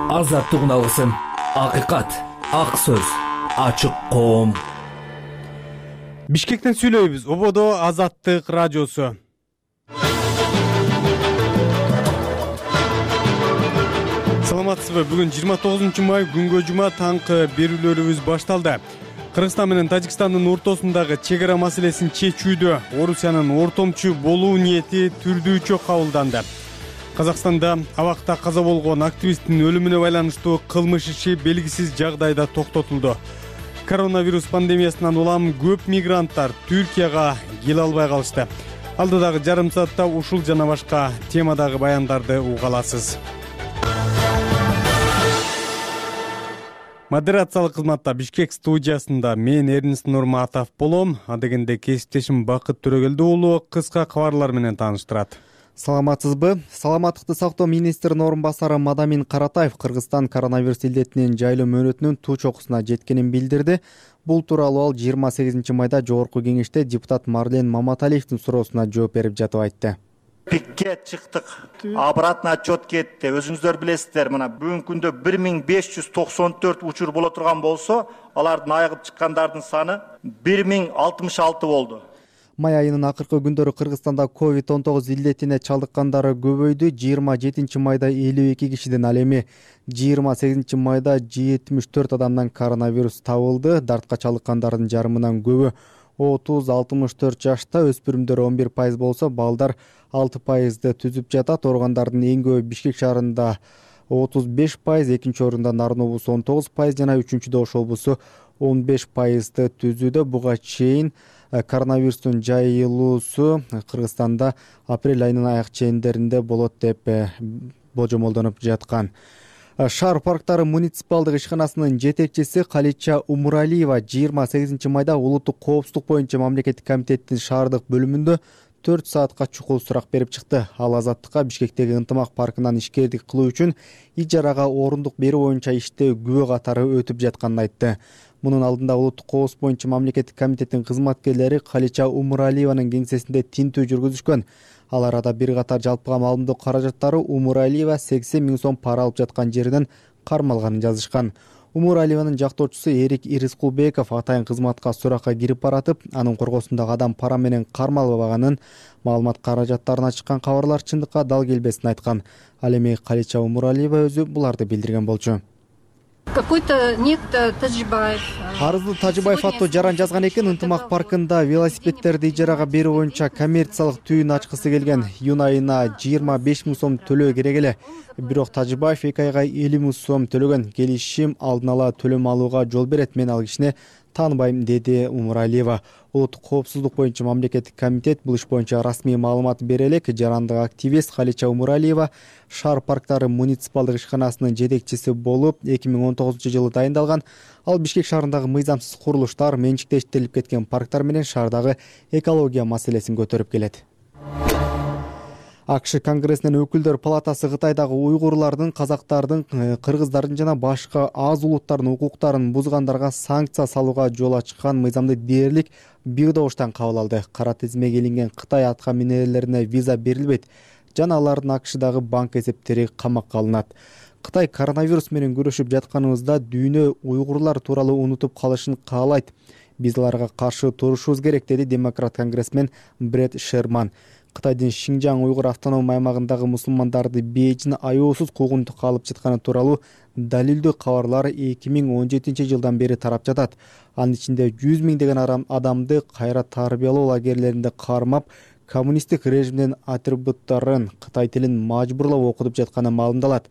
Азаттык алгысым, акыйкат, ак сөз, ачык коом. Бишкектен сүйлөйбүз. Ободо Азаттык радиосу. Саламатсызбы? Бүгүн 29 май күнгө жума таңкы берүүлөрүбүз башталды. Кыргызстан менен Тажикстандын ортосундагы чек ара маселесин чечүүдө Орусиянын ортомчу болуу ниети түрдүүчө кабылданды. Казакстанда абакта каза болгон активисттин өлүмүнө байланыштуу кылмыш иши белгисиз жагдайда токтотулду. Коронавирус пандемиясынан улам көп мигранттар Түркияга келе албай калышты. Алдыдагы жарым саатта ушул жана башка темадагы баяндарды уга аласыз. Модерациялык кызматта Бишкек студиясында мен Эрнест Нурматов болом. Адегенде кесиптешим Бакыт Төрөгелди уулу кыска кабарлар менен тааныштырат. Саламатсызбы? Саламаттыкты сактоо министринин орун басары Мадамин Каратаев Кыргызстан коронавирус илдетинин жайлоо мөөнөтүнүн туу чокусуна жеткенин билдирди. Бул тууралуу ал 28 майда жогорку кеңеште депутат Марлен Маматалиевдин суроосуна жооп берип жатып айтты. Пикке чыктык. Обратно отчет кетти. Өзүңүздөр билесиздер, мына бүгүнкү күндө 1594 учур боло турган болсо, алардын айыгып чыккандардын саны 1066 болду. Май айынын акыркы күндөрү Кыргызстанда COVID-19 илдетине чалдыккандары көбөйдү. 27 майда 52 кишиден, ал эми 28 майда 74 адамдан коронавирус табылды. Дартка чалдыккандардын жарымынан көбү 30-64 жашта, өспүрүмдөр 11% болсо, балдар 6%ды түзүп жатат. Ооругандардын эң көбү Бишкек шаарында 35%, экинчи орунда Нарын облусу 19% жана үчүнчүдө Ош облусу 15%ды түзүүдө. Буга чейин коронавирустун жайылуусу Кыргызстанда апрель айынын аяк чендеринде болот деп болжомолдонуп жаткан. Шаар парктары муниципалдык ишканасынын жетекчиси Калича Умуралиева 28 майда улуттук коопсуздук боюнча мамлекеттик комитеттин шаардык бөлүмүндө 4 саатка чукул сурак берип чыкты. Ал Азаттыкка Бишкектеги Ынтымак паркынан ишкердик кылуу үчүн ижарага орундук берүү боюнча иште күбө катары өтүп жатканын айтты. Мунун алдында улуттук коопсуздук боюнча мамлекеттик комитеттин кызматкерлери Калича Умуралиеванын кеңсесинде тинтүү жүргүзүшкөн. Ал арада бир катар жалпыга маалымдоо каражаттары Умуралиева 80 000 сом пара алып жаткан жеринен кармалганын жазышкан. Умуралиеванын жактоочусу Эрик Ирискулбеков атайын кызматка суракка кирип баратып, анын коргосундагы адам пара менен кармалбаганын, маалымат каражаттарына чыккан кабарлар чындыкка дал келбесин айткан. Ал эми Калича Умуралиева өзү буларды билдирген болчу. Какой-то некто Тажибаев. Арызды Тажибаев аттуу жаран жазган экен. Ынтымак паркында велосипедтерди ижарага берүү боюнча коммерциялык түйүн ачкысы келген. Июнь айына 25 000 сом төлөө керек эле. Бирок Тажибаев 2 айга 50 000 сом төлөгөн. Келишим алдын ала төлөм алууга жол берет. Мен ал кишини тааныбайм, деди Умуралиева. Улуттук коопсуздук боюнча мамлекеттик комитет бул иш боюнча расмий маалымат бере элек. Жарандык активист Калича Умуралиева шаар парктары муниципалдык ишканасынын жетекчиси болуп 2019 жылы дайындалган. Ал Бишкек шаарындагы мыйзамсыз курулуштар, менчиктештирилип кеткен парктар менен шаардагы экология маселесин көтөрүп келет. АКШ Конгрессинин өкүлдөр палатасы Кытайдагы уйгурлардын, казактардын, кыргыздардын жана башка аз улуттардын укуктарын бузгандарга санкция салууга жол ачкан мыйзамды дээрлик бирдобуштан кабыл алды. Кара тизмеге илинген Кытай атка минерлерине виза берилбейт жана алардын АКШдагы банк эсептери камакка алынат. Кытай коронавирус менен күрөшүп жатканыбызда дүйнө уйгурлар тууралуу унутуп калышын каалайт. Биз аларга каршы турушубуз керек, деди демократ конгрессмен Бред Шерман. Кытайдын Шинжаң уйгур автоном аймагындагы мусулмандарды бейжин аяосуз куугунтукка алып жатканы тууралуу далилдүү кабарлар 2017 жылдан бери тарап жатат. Анын ичинде 100 миңдеген адамды кайра тарбиялоо лагерлеринде кармап, коммунисттик режимдин атрибуттарын, Кытай тилин мажбурлап окутуп жатканы маалымдалат.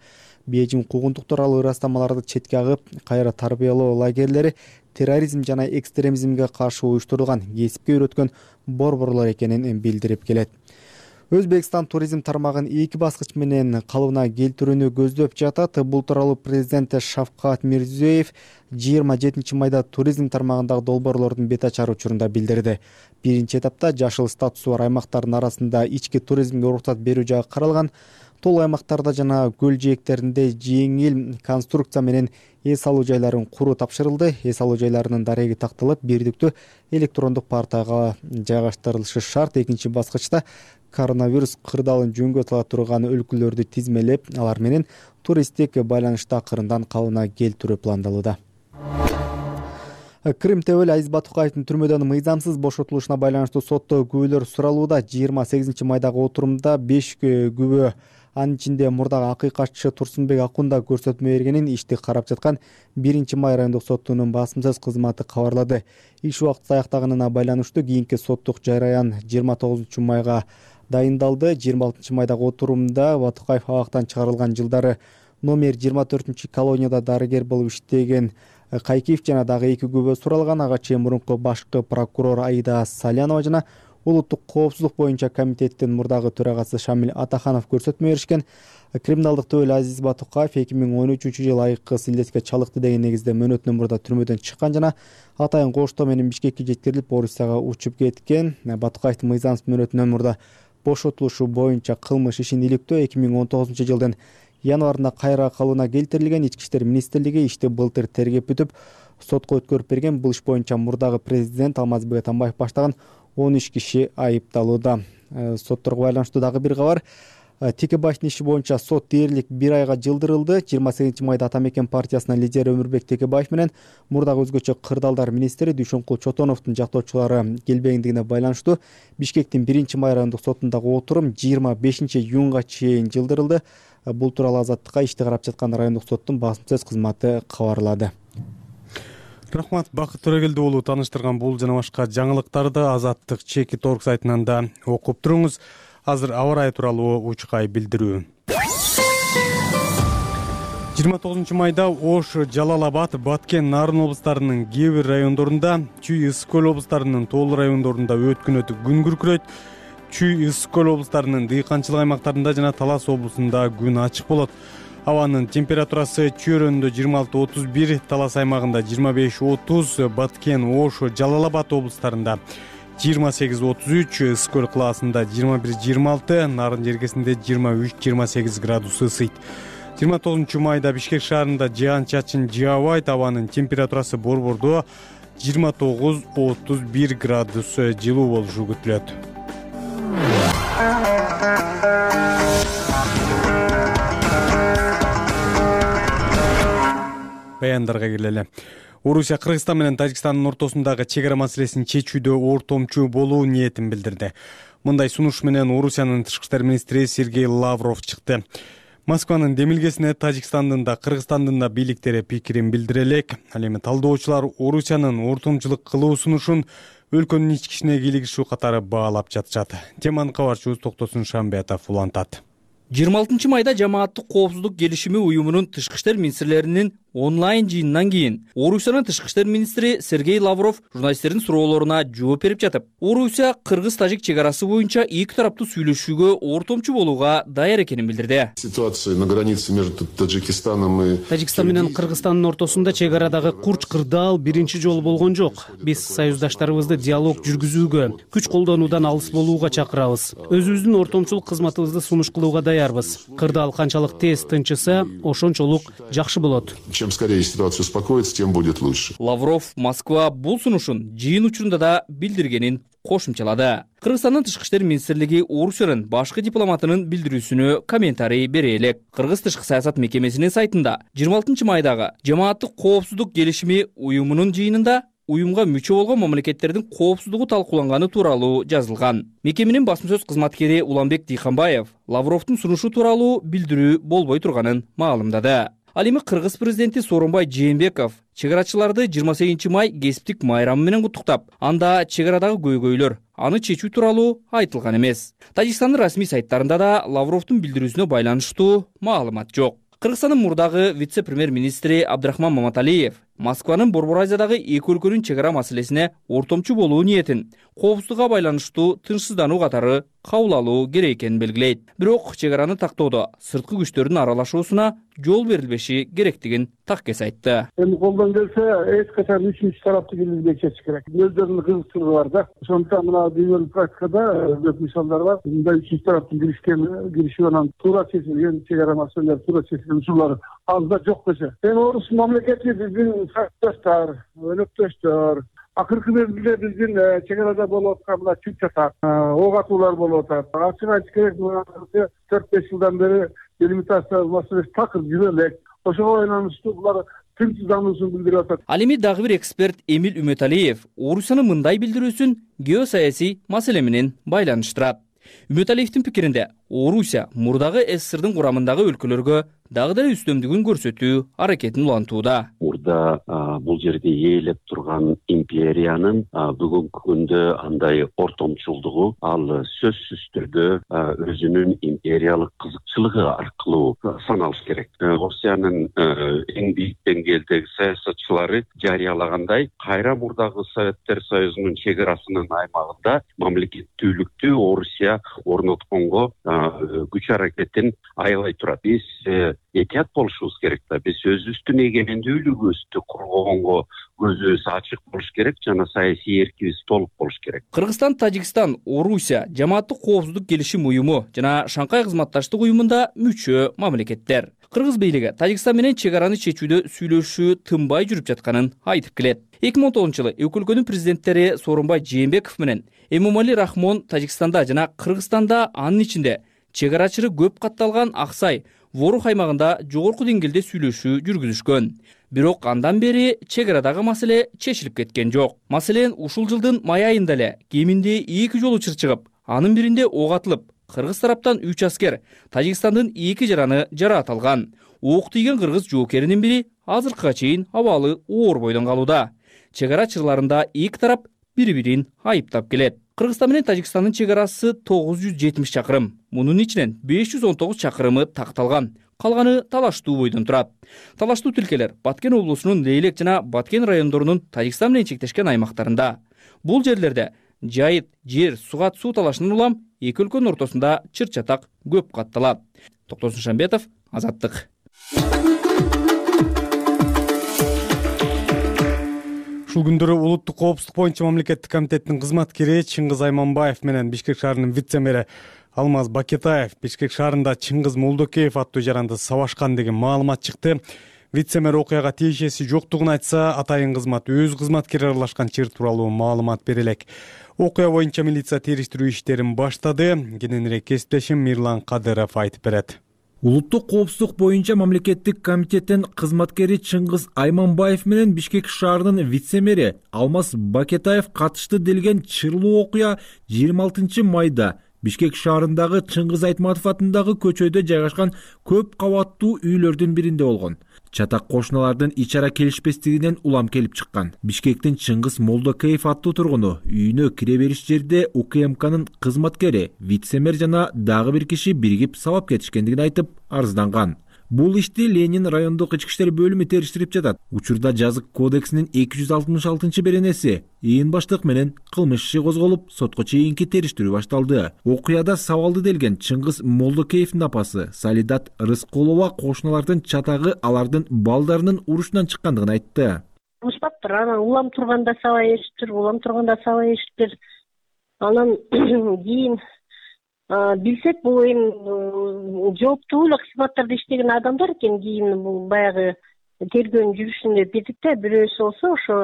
Бейжин куугунтук тууралуу ырастамаларды четке агып, кайра тарбиялоо лагерлери терроризм жана экстремизмге каршы уюштурулган, кесипке үйрөткөн борборлор экенин билдирип келет. Өзбекстан туризм тармагын 2 баскыч менен калыбына келтирүүнү көздөп жатат. Бул тууралуу президент Шавкат Мирзиёев 27 майда туризм тармагындагы долбоорлордун бет ачар учурунда билдирди. Биринчи этапта жашыл статусу бар аймактардын арасында ички туризмге уруксат берүү жагы каралган. Тол аймактарда жана көл жээктеринде жеңил конструкция менен эс алуу жайларын куруу тапшырылды. Эс алуу жайларынын дареги такталып, бирдиктүү электрондук порталга жайгаштырылышы шарт. Экинчи баскычта коронавирус кырдаалын жөнгө сала турган өлкөлөрдү тизмелеп, алар менен туристтик байланышты акырындан калыбына келтирүү пландалууда. Крым Тебел Азиз Батукаевдин түрмөдөн мыйзамсыз бошотулушуна байланыштуу сотто күбөлөр суралууда. 28 майдагы отурумда 5 күбө, анын ичинде мурдагы акыйкатчы Турсунбек Акунда көрсөтмө бергенин ишти карап жаткан 1-май райондук соттунун басымсыз кызматы кабарлады. Иш убакыты аяктаганына байланыштуу кийинки соттук жараян 29 майга дайындалды. 26 майдагы отурумда Батукаев абактан чыгарылган жылдары номер 24 колонияда дарыгер болуп иштеген Кайкиев жана дагы 2 күбө суралган. Ага чейин мурунку башкы прокурор Аида Салянова жана улуттук коопсуздук боюнча комитеттин мурдагы төрагасы Шамил Атаханов көрсөтмө беришкен. Криминалдык Тебел Азиз Батукаев 2013-жылы айыккы силдетке чалыкты деген негизде мөөнөтүнөн мурда түрмөдөн чыккан жана атайын коштоо менен Бишкекке жеткирилип, Орусияга учуп кеткен. Батукаевдин мыйзамсыз мөөнөтүнөн мурда бошотулушу боюнча кылмыш ишин иликтөө 2019-жылдын январында кайра калыбына келтирилген. Ички иштер министрлиги ишти былтыр тергеп бүтүп, сотко өткөрүп берген. Бул иш боюнча мурдагы президент Алмазбек Атамбаев баштаган 13 киши айыпталууда. Сотторго байланыштуу дагы бир кабар. Текебаевдин иши боюнча сот дээрлик 1 айга жылдырылды. 28 майда Атамекен партиясынын лидери Өмүрбек Текебаев менен мурдагы өзгөчө кырдаалдар министри Дүйшөнкул Чотоновдун жактоочулары келбегендигине байланыштуу Бишкектин 1-май райондук сотундагы отурум 25-июнга чейин жылдырылды. Бул тууралуу Азаттыкка ишти карап жаткан райондук соттун басымсыз кызматы кабарлады. Рахмат, Бакыт Төрөгелди уулу тааныштырган бул жана башка жаңылыктарды Азаттык Чеки.org сайтынан да окуп туруңуз. Азыр аба ырайы тууралуу учкай билдирүү. 29 майда Ош, Жалал Абад, Баткен, Нарын облустарынын кээ бир райондорунда, Чүй, Ысык көл облустарынын тоолуу райондорунда өткүнөтү күн күркүрөйт. Чүй, Ысык көл облустарынын дыйканчылык аймактарында жана Талас облусунда күн ачык болот. Абанын температурасы Чүй районунда 26-31, Талас аймагында 25-30, Баткен, Ош, Жалал Абад облустарында 28-33, Ысык көл кылаасында 21-26, Нарын жергесинде 23-28 градус ысыйт. 29 майда Бишкек шаарында жаан-чачын жаабайт. Абанын температурасы борбордо 29-31 градус жылуу болушу күтүлөт. Баяндарга келели. Орусия Кыргызстан менен Тажикстандын ортосундагы чек ара маселесин чечүүдө ортомчу болуу ниетин билдирди. Мындай сунуш менен Орусиянын тышкы иштер министри Сергей Лавров чыкты. Москванын демилгесине Тажикстандын да Кыргызстандын да бийликтери пикирин билдире элек. Ал эми талдоочулар Орусиянын ортомчулук кылуу сунушун өлкөнүн ички ишине кийлигишүү катары баалап жатышат. Теманы кабарчыбыз Токтосун Шамбетов улантат. 26 майда жамааттык коопсуздук келишими уюмунун тышкы иштер министрлеринин онлайн жыйынынан кийин Орусиянын тышкы иштер министри Сергей Лавров журналисттердин суроолоруна жооп берип жатып, Орусия Кыргыз-Тажик чек арасы боюнча эки тараптуу сүйлөшүүгө ортомчу болууга даяр экенин билдирди. Ситуация на границе между Таджикистаном и Тажикстан менен Кыргызстандын ортосунда чек арадагы курч кырдаал биринчи жолу болгон жок. Биз союздаштарыбызды диалог жүргүзүүгө, күч колдонуудан алыс болууга чакырабыз. Өзүбүздүн ортомчулук кызматыбызды сунуш кылууга даярбыз. Кырдаал канчалык тез тынчыса, ошончолук жакшы болот. Чем скорее ситуация успокоится, тем будет лучше. Лавров Москва бул сунушун жыйын учурунда да билдиргенин кошумчалады. Кыргызстандын тышкы иштер министрлиги Орусиянын башкы дипломатынын билдирүүсүнө комментарий бере элек. Кыргыз тышкы саясат мекемесинин сайтында 26 майдагы жамааттык коопсуздук келишими уюмунун жыйынында уюмга мүчө болгон мамлекеттердин коопсуздугу талкууланганы тууралуу жазылган. Мекеменин басма сөз кызматкери Уланбек Дыйханбаев Лавровдун сунушу тууралуу билдирүү болбой турганын маалымдады. Ал эми Кыргыз президенти Сооронбай Жээнбеков чек арачыларды 28 май кесиптик майрамы менен куттуктап, анда чек арадагы көйгөйлөр аны чечүү тууралуу айтылган эмес. Тажикстандын расмий сайттарында да Лавровдун билдирүүсүнө байланыштуу маалымат жок. Кыргызстандын мурдагы вице-премьер-министри Абдрахман Маматалиев Москванын Борбор Азиядагы эки өлкөнүн чек ара маселесине ортомчу болуу ниетин коопсуздукка байланыштуу тынчсыздануу катары кабыл алуу керек экенин белгилейт. Бирок чек араны тактоодо сырткы күчтөрдүн аралашуусуна жол берилбеши керектигин таккес айтты. Эми колдон келсе, эч качан үчүнчү тарапты киргизбей чечиш керек. Өздөрүнүн кызыктуулугу бар да. Ошондуктан мына дүйнөлүк практикада көп мисалдар бар. Мындай үчүнчү тараптын киришүү анан туура чечилген чек ара маселелер, туура чечилген учурлар аз да жок десе. Эми орус мамлекети биздин сапташтар, өнөктөштөр, Акыркы мезгилде биздин чек арада болуп аткан мына түп чатак, ок атуулар болуп атат. Ачык айтыш керек, мына 4-5 жылдан бери делимитация маселеси такыр жүрө элек. Ошого байланыштуу булар тынчсыздануусун билдирип атат. Ал эми дагы бир эксперт Эмил Үмөталиев Орусиянын мындай билдирүүсүн геосаясий маселе менен байланыштырат. Үмөталиевдин пикиринде, Орусия мурдагы СССРдын курамындагы өлкөлөргө дагы деле үстөмдүгүн көрсөтүү аракетин улантууда. Мурда бул жерде ээлеп турган империянын бүгүнкү күндө андай ортомчулдугу ал сөзсүз түрдө өзүнүн империялык кызыкчылыгы аркылуу саналыш керек. Орусиянын эң бийик деңгээлдеги саясатчылары жарыялагандай, кайра мурдагы Советтер Союзунун чек арасынын аймагында мамлекеттүүлүктү Орусия орнотконго күч аракетин аябай турат. Биз этият болушубуз керек да. Биз өзүбүздүн эгемендүүлүгүбүздү коргогонго көзүбүз ачык болуш керек жана саясий эркибиз толук болуш керек. Кыргызстан, Тажикстан, Орусия жамааттык коопсуздук келишим уюму жана Шанхай кызматташтык уюмунда мүчө мамлекеттер. Кыргыз бийлиги Тажикстан менен чек араны чечүүдө сүйлөшүү тынбай жүрүп жатканын айтып келет. 2010-жылы эки өлкөнүн президенттери Сооронбай Жээнбеков менен Эмомали Рахмон Тажикстанда жана Кыргызстанда, анын ичинде чек арачылары көп катталган Аксай, Ворух аймагында жогорку деңгээлде сүйлөшүү жүргүзүшкөн. Бирок андан бери чек арадагы маселе чечилип кеткен жок. Маселен, ушул жылдын май айында эле кеминде 2 жол учур чыгып, анын биринде ок атылып, кыргыз тараптан 3 аскер, Тажикстандын 2 жараны жараат алган. Ок тийген кыргыз жоокеринин бири азыркыга чейин абалы оор бойдон калууда. Чек ара чырларында эки тарап бири-бирин айыптап келет. Кыргызстан менен Тажикстандын чек арасы 970 чакырым. Мунун ичинен 519 чакырымы такталган. Калганы талаштуу бойдон турат. Талаштуу тилкелер Баткен облусунун Лейлек жана Баткен райондорунун Тажикстан менен чектешкен аймактарында. Бул жерлерде жайыт, жер, сугат суу талашынан улам эки өлкөнүн ортосунда чыр-чатак көп катталат. Токтосун Шамбетов, Азаттык. Ушул күндөрү улуттук коопсуздук боюнча мамлекеттик комитеттин кызматкери Чыңгыз Айманбаев менен Бишкек шаарынын вице-мэри Алмаз Бакетаев Бишкек шаарында Чыңгыз Молдокеев аттуу жаранды сабашкан деген маалымат чыкты. Вице-мэр окуяга тиешеси жоктугун айтса, атайын кызмат өз кызматкери аралашкан чыр тууралуу маалымат бере элек. Окуя боюнча милиция териштирүү иштерин баштады. Кененирээк кесиптешим Мирлан Кадыров айтып берет. Улуттук коопсуздук боюнча мамлекеттик комитеттин кызматкери Чыңгыз Айманбаев менен Бишкек шаарынын вице-мэри Алмаз Бакетаев катышты делген чырлуу окуя 26 майда Бишкек шаарындагы Чыңгыз Айтматов атындагы көчөдө жайгашкан көп кабаттуу үйлөрдүн биринде болгон. Чатак кошуналардын ичара келишпестигинен улам келип чыккан. Бишкектин Чыңгыз Молдокеев аттуу тургуну үйүнө кире бериш жерде УКМКнын кызматкери, вице-мэр жана дагы бир киши биригип сабап кетишкендигин айтып арызданган. Бул ишти Ленин райондук ички иштер бөлүмү териштирип жатат. Учурда жазык кодексинин 266-беренеси иин баштык менен кылмыш иши козголуп, сотко чейинки териштирүү башталды. Окуяда сабалды делген Чыңгыз Молдокеевдин апасы Салидат Рыскулова кошуналардын чатагы алардын балдарынын урушунан чыккандыгын айтты. Уштаптыр, анан улам турганда сабай беришиптир, улам турганда сабай беришиптир. Анан кийин билсек, бул эми жооптуу эле кызматтарда иштеген адамдар экен. Кийин бул баягы тергөөнүн жүрүшүндө билдик да, бирөөсү болсо ошо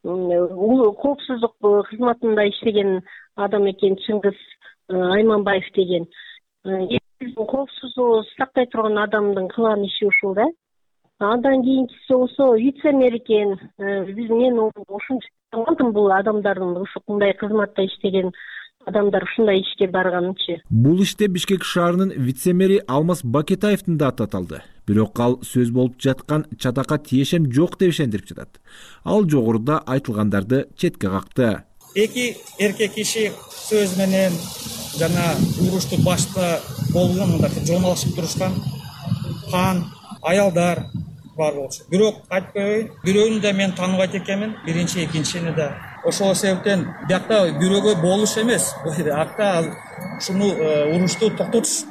коопсуздук кызматында иштеген адам экен, Чыңгыз Айманбаев деген. Биздин коопсуздугубузду сактай турган адамдын кылган иши ушул да. Андан кийинкиси болсо вице-мэр экен. Мен ушунча таандым бул адамдардын ушундай кызматта иштеген адамдар ушундай ишке барганынчы. Бул иште Бишкек шаарынын вице-мэри Алмаз Бакетаевдин да аты аталды. Бирок ал сөз болуп жаткан чатакка тиешем жок деп ишендирип жатат. Ал жогоруда айтылгандарды четке какты. Эки эркек киши сөз менен жана урушту башта болгон мындай жоналышып турушкан кан аялдар бар болчу. Бирок айтып коеюн, бирөөнү да мен тааныбайт экенмин, биринчи, экинчини да. Ошол себептен биякта бирөөгө болуш эмес, акта ушуну урушту токтотуш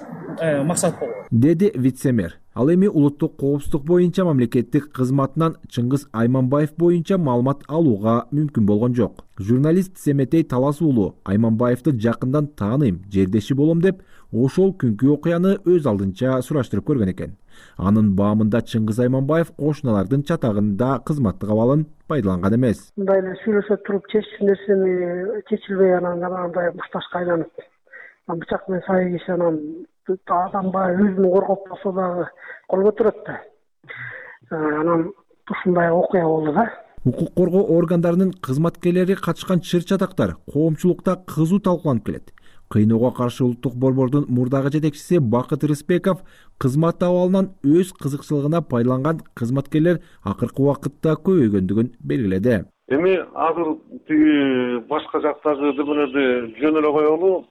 максат болгон, деди вице-мэр. Ал эми улуттук коопсуздук боюнча мамлекеттик кызматынан Чыңгыз Айманбаев боюнча маалымат алууга мүмкүн болгон жок. Журналист Семетей Талас уулу Айманбаевди жакындан тааныйм, жердеши болом деп ошол күнкү окуяны өз алдынча сураштырып көргөн экен. Анын баамында Чыңгыз Айманбаев кошуналардын чатагында кызматтык абалын пайдаланган эмес. Мындай эле сүйлөшө туруп чечилген нерсени чечилбей анан андай мушташка айланып, бычак менен сай киши анан адам баягы өзүн коргоп болсо дагы кол көтөрөт да. Анан ушундай окуя болду да. Укук коргоо органдарынын кызматкерлери катышкан чыр-чатактар коомчулукта кызуу талкууланып келет. Кыйноого каршы улуттук борбордун мурдагы жетекчиси Бакыт Рыспеков кызмат абалынан өз кызыкчылыгына пайдаланган кызматкерлер акыркы убакытта көбөйгөндүгүн белгиледи. Эми азыр тиги башка жактагы демелерди жөн эле коелу,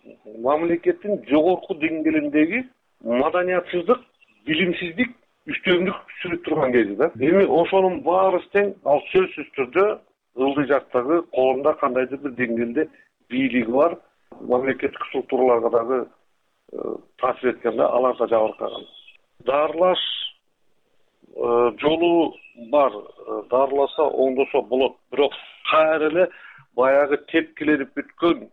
мамлекеттин жогорку деңгээлиндеги маданиятсыздык, билимсиздик, үстөмдүк сүрүп турган кези да. Эми ошонун баарысы тең ал сөзсүз түрдө ылдый жактагы коомдо кандайдыр бир деңгээлде бийлиги бар мамлекеттик структураларга дагы таасир эткенде алар да жабыркаган. Дарылаш жолу бар, дарыласа оңдосо болот, бирок кайра эле баягы тепкиленип бүткөн,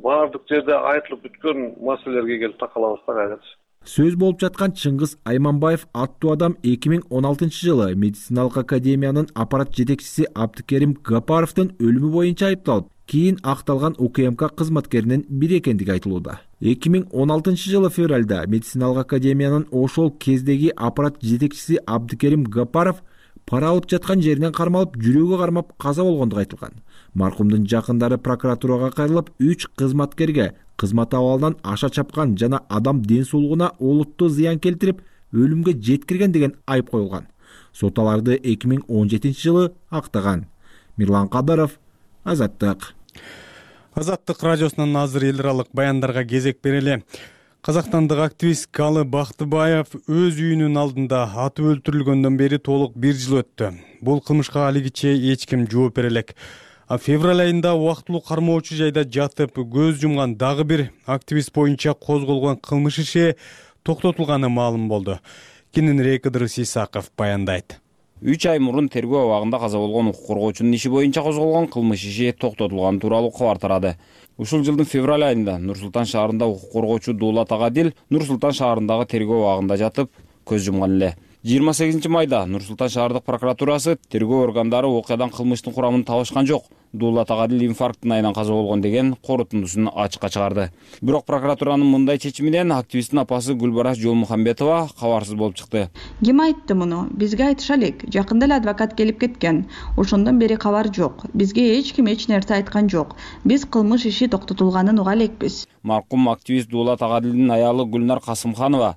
баардык жерде айтылып бүткөн маселелерге келип такалабыз да кайра. Сөз болуп жаткан Чыңгыз Айманбаев аттуу адам 2016-жылы медициналык академиянын аппарат жетекчиси Абдыкерим Гапаровдун өлүмү боюнча айыпталып, кийин акталган УКМК кызматкеринин бири экендиги айтылууда. 2016-жылы февралда медициналык академиянын ошол кездеги аппарат жетекчиси Абдыкерим Гапаров пара алып жаткан жеринен кармалып, жүрөгү кармап каза болгондугу айтылган. Маркумдун жакындары прокуратурага кайрылып, 3 кызматкерге кызмат абалынан аша чапкан жана адам ден соолугуна олуттуу зыян келтирип, өлүмгө жеткирген деген айып коюлган. Сот аларды 2017-жылы актаган. Мирлан Кадыров, Азаттык. Азаттык радиосунан азыр эл аралык баяндарга кезек берели. Казакстандык активист Галы Бактыбаев өз үйүнүн алдында атып өлтүрүлгөндөн бери толук 1 жыл өттү. Бул кылмышка алигиче эч ким жооп бере элек. Февраль айында убактылуу кармоочу жайда жатып көз жумган дагы бир активист боюнча козголгон кылмыш иши токтотулганы маалым болду. Кененирээк Ыдырыс Исаков баяндайт. 3 ай мурун тергөө абагында каза болгон укук коргоочунун иши боюнча козголгон кылмыш иши токтотулганы тууралуу кабар тарады. Ушул жылдын февраль айында Нур-Султан шаарында укук коргоочу Дуулат Агадил Нур-Султан шаарындагы тергөө абагында жатып көз жумган эле. 28 майда Нур-Султан шаардык прокуратурасы тергөө органдары окуядан кылмыштын курамын табышкан жок, Дуулат Агадил инфаркттын айынан каза болгон деген корутундусун ачыкка чыгарды. Бирок прокуратуранын мындай чечиминен активисттин апасы Гүлбараш Жолмухамбетова кабарсыз болуп чыкты. Ким айтты муну? Бизге айтыша элек. Жакында эле адвокат келип кеткен. Ошондон бери кабар жок. Бизге эч ким эч нерсе айткан жок. Биз кылмыш иши токтотулганын уга элекпиз. Маркум активист Дуулат Агадилдин аялы Гүлнар Касымханова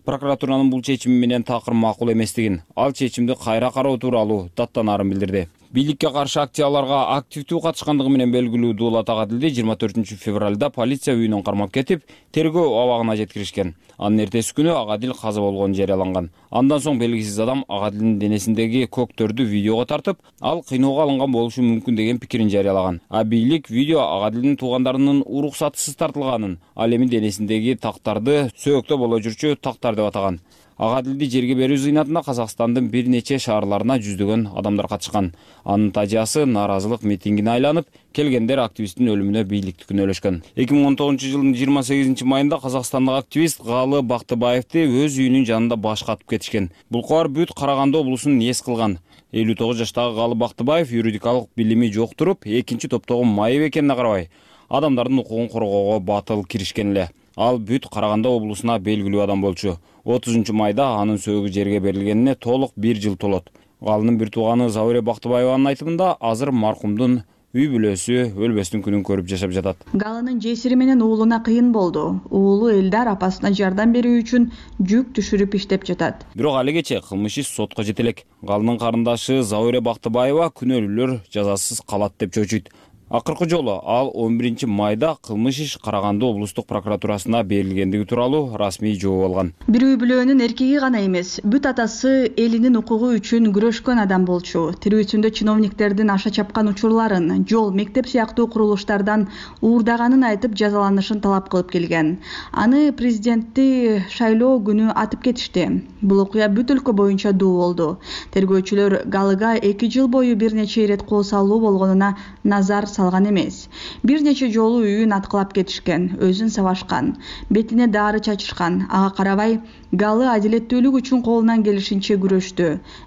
прокуратуранын бул чечими менен такыр макул эместигин, ал чечимди кайра кароо тууралуу даттанаарын билдирди. Бийликке каршы акцияларга активдүү катышкандыгы менен белгилүү Дуулат Агадилди 24 февралда полиция үйүнөн кармап кетип, тергөө абагына жеткиришкен. Анын эртеси күнү Агадил каза болгону жарыяланган. Андан соң белгисиз адам Агадилдин денесиндеги көктөрдү видеого тартып, ал кыйноого алынган болушу мүмкүн деген пикирин жарыялаган. А бийлик видео Агадилдин туугандарынын уруксатысыз тартылганын, ал эми денесиндеги тактарды сөөктө боло жүрчү тактар деп атаган. Агадилди жерге берүү зыйнатына Казакстандын бир нече шаарларына жүздөгөн адамдар катышкан. Анын тажыясы нааразылык митингине айланып, келгендер активисттин өлүмүнө бийликти күнөөлөшкөн. 2019-жылдын 28 майында казакстандык активист Галы Бактыбаевди өз үйүнүн жанында башка атып кетишкен. Бул кабар бүт Караганды облусун эс кылган. 59 жаштагы Галы Бактыбаев юридикалык билими жок туруп, экинчи топтогу майып экенине карабай, адамдардын укугун коргоого батыл киришкен эле. Ал бүт Караганды облусуна белгилүү адам болчу. 30 майда анын сөөгү жерге берилгенине толук 1 жыл толот. Галынын бир тууганы Завуре Бактыбаеванын айтымында азыр маркумдун үй бүлөсү өлбөстүн күнүн көрүп жашап жатат. Галынын жесири менен уулуна кыйын болду. Уулу Элдар апасына жардам берүү үчүн жүк түшүрүп иштеп жатат. Бирок алигече кылмыш иш сотко жете элек. Галынын карындашы Завуре Бактыбаева күнөөлүүлөр жазасыз калат деп чочуйт. Акыркы жолу ал 11 майда кылмыш иш Караганды облустук прокуратурасына берилгендиги тууралуу расмий жооп алган. Бир үй бүлөнүн эркеги гана эмес, бүт атасы элинин укугу үчүн күрөшкөн адам болчу. Тирүүсүндө чиновниктердин аша чапкан учурларын, жол, мектеп сыяктуу курулуштардан уурдаганын айтып жазаланышын талап кылып келген. Аны президентти шайлоо күнү атып кетишти. Бул окуя бүт өлкө боюнча дуу болду. Тергөөчүлөр Галыга 2 жыл бою бир нече ирет кол салуу болгонуна назар салган эмес. Бир нече жолу үйүн аткылап кетишкен, өзүн сабашкан, бетине дары чачышкан. Ага карабай Галы адилеттүүлүк үчүн колунан келишинче күрөштү.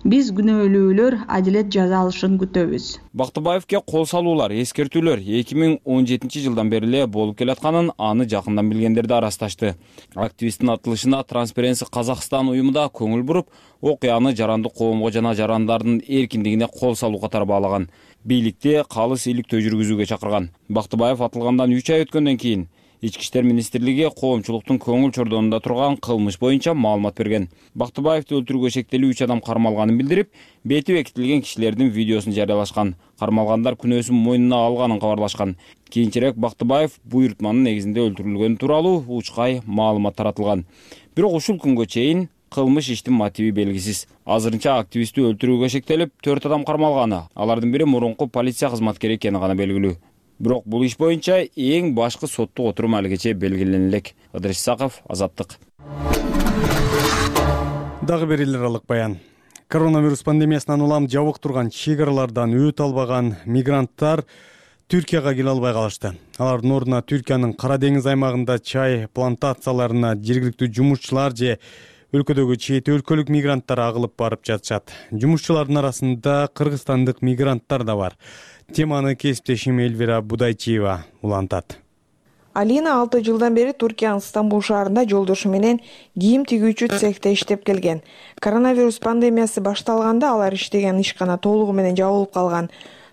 Биз күнөөлүүлөр адилет жаза алышын күтөбүз. Бактыбаевке кол салуулар, эскертүүлөр 2017 жылдан бери эле болуп келатканын аны жакындан билгендер да арасташты. Активисттин атылышына Transparency Kazakhstan уюму да көңүл буруп, окуяны жарандык коомго жана жарандардын эркиндигине кол салуу катары баалаган. Бийликти калыс иликтөө жүргүзүүгө чакырган. Бактыбаев атылгандан 3 ай өткөндөн кийин Ички иштер министрлиги коомчулуктун көңүл чордонунда турган кылмыш боюнча маалымат берген. Бактыбаевди өлтүрүүгө шектелүү 3 адам кармалганын билдирип, бети бекитилген кишилердин видеосун жарыялашкан. Кармалгандар күнөөсүн мойнуна алганын кабарлашкан. Кийинчерээк Бактыбаев буйрутманын негизинде өлтүрүлгөнү тууралуу учкай маалымат таратылган. Бирок ушул күнгө чейин кылмыш иштин мотиви белгисиз. Азырынча активистти өлтүрүүгө шектелип 4 адам кармалганы. Алардын бири мурунку полиция кызматкери экени гана белгилүү. Бирок бул иш боюнча эң башкы соттук отурум алигече белгилене элек. Ыдырыс Исаков, Азаттык. Дагы бир эл аралык баян. Коронавирус пандемиясынан улам жабык турган чек-аралардан өтө албаган мигранттар Түркияга келе албай калышты. Алардын ордуна Түркиянын Кара деңиз аймагында чай плантацияларына жергиликтүү жумушчулар же өлкөдөгү чет өлкөлүк мигранттар агылып барып жатышат. Жумушчулардын арасында кыргызстандык мигранттар да бар. Теманы кесиптешим Эльвира Будайчиева улантат. Алина 6 жылдан бери Туркиянын Стамбул шаарында жолдошу менен кийим тигүүчү цехте иштеп келген. Коронавирус пандемиясы башталганда алар иштеген ишкана толугу менен жабылып калган.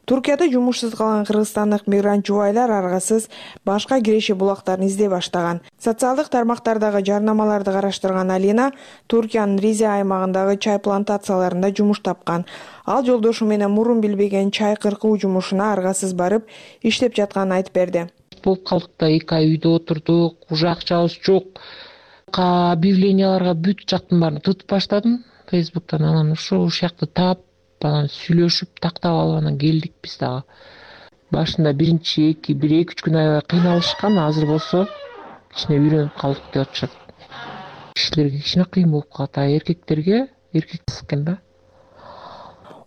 Туркияда жумушсуз калган кыргызстандык мигрант жубайлар аргасыз башка киреше булактарын издей баштаган. Социалдык тармактардагы жарнамаларды караштырган Алина Туркиянын Ризе аймагындагы чай плантацияларында жумуш тапкан. Ал жолдошу менен мурун билбеген чай кыркуу жумушуна аргасыз барып иштеп жатканын айтып берди. Болуп калдык да 2 ай үйдө отурдук, уже акчабыз жок. Объявленияларга бүт жактын баарын тутуп баштадым Facebook'тан, анан ушул жакты таап, анан сүйлөшүп, тактап алып анан келдик биз дагы. Башында биринчи 1-2 күн аябай кыйналышкан, азыр болсо кичине үйрөнүп калдык деп атышат. Кишилерге кичине кыйын болуп калат, эркектерге экен да.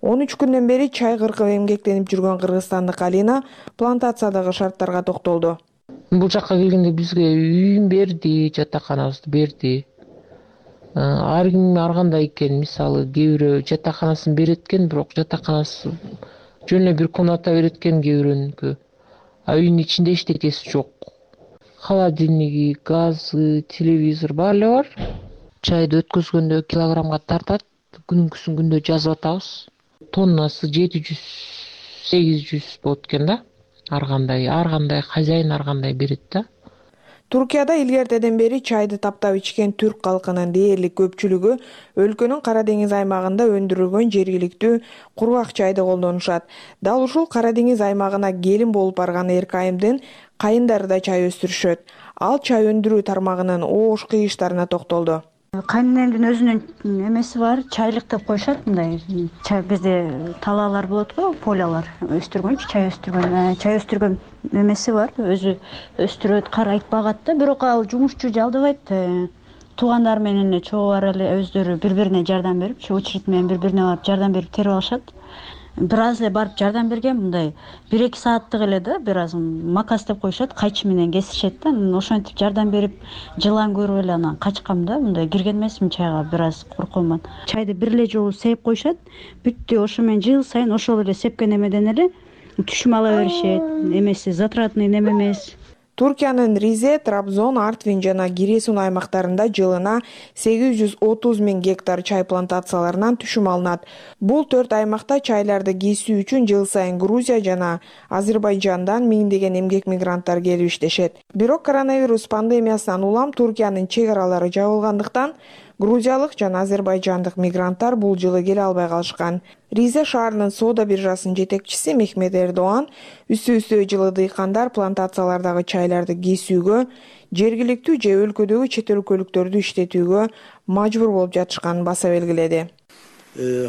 13 күндөн бери чай кыркып эмгектенип жүргөн кыргызстандык Алина плантациядагы шарттарга токтолду. Бул жакка келгенде бизге үйүн берди, жатаканабызды берди. Ар ким ар кандай экен, мисалы кээ бирөө жатаканасын берет экен, бирок жатаканасы жөн эле бир комната берет экен кээ бирөөнүкү. А үйдүн ичинде эчтекеси жок. Холодильниги, газы, телевизор баары эле бар. Чайды өткөзгөндө килограммга тартат, күнүнкүсүн күндө жазып атабыз. Тоннасы 700-800 болот экен да. Ар кандай хозяин ар кандай берет да. Туркияда илгертеден бери чайды таптап ичкен түрк калкынын дээрлик көпчүлүгү өлкөнүн Кара деңиз аймагында өндүрүлгөн жергиликтүү кургак чайды колдонушат. Дал ушул Кара деңиз аймагына келин болуп барган Эркайымдын кайындары да чай өстүрүшөт. Ал чай өндүрүү тармагынын оош кыйыштарына токтолду. Кайненемдин өзүнүн эмеси бар, чайлык деп коюшат мындай. Чай бизде талаалар болот го, полялар өстүргөнчү, чай өстүргөн эмеси бар. Өзү өстүрөт, карайт, багат да, бирок ал жумушчу жалдыбайт. Туугандар менен эле чогуу бар эле өздөрү бири-бирине жардам берип, очередь менен бири-бирине барып жардам берип терип алышат. Бир аз эле барып жардам берген, мындай 1-2 сааттык эле да, бир аз макас деп коюшат, кайчы менен кесишет да. Ошентип жардам берип, жылан көрүп эле анан качкам да, мындай кирген эмесмин чайга, бир аз коркомун. Чайды бир эле жолу сеип коюшат, бүттү, ошо менен жыл сайын ошол эле сепкен эмеден эле түшүм ала беришет. Эмеси затратный неме эмес. Туркиянын Ризе, Трабзон, Артвин жана Гиресун аймактарында жылына 830 000 гектар чай плантацияларынан түшүм алынат. Бул 4 аймакта чайларды кесүү үчүн жыл сайын Грузия жана Азербайжандан миңдеген эмгек мигранттар келип иштешет. Бирок коронавирус пандемиясынан улам Туркиянын чек аралары жабылгандыктан грузиялык жана азербайжандык мигранттар бул жылы келе албай калышкан. Ризе шаарынын соода биржасынын жетекчиси Мехмет Эрдоан үстү-үстү жылы дыйкандар плантациялардагы чайларды кесүүгө, жергиликтүү же өлкөдөгү чет өлкөлүктөрдү иштетүүгө мажбур болуп жатышканын баса белгиледи.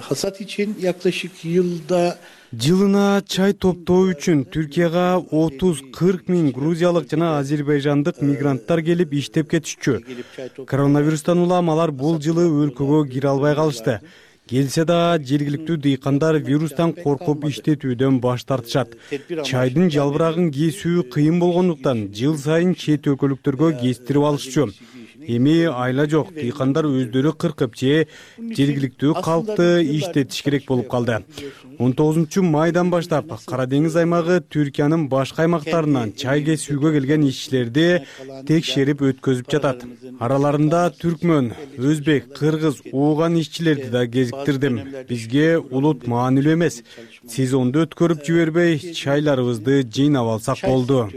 Hasat için yaklaşık yılda Жылына чай топтоо үчүн Түркияга 30-40 000 грузиялык жана азербайжандык мигранттар келип иштеп кетишчү. Коронавирустан улам алар бул жылы өлкөгө кире албай калышты. Келсе да жергиликтүү дыйкандар вирустан коркуп иштетүүдөн баш тартышат. Чайдын жалбырагын кесүү кыйын болгондуктан жыл сайын чет өлкөлүктөргө кестирип алышчу. Эми айла жок, дыйкандар өздөрү кыркып же жергиликтүү калкты иштетиш керек болуп калды. 19 майдан баштап Кара деңиз аймагы Түркиянын башка аймактарынан чай кесүүгө келген ишчилерди текшерип өткөзүп жатат. Араларында түркмөн, өзбек, кыргыз, ууган ишчилерди да кезиктирдим. Бизге улут маанилүү эмес. Сезонду өткөрүп жибербей, чайларыбызды жыйнап алсак болду.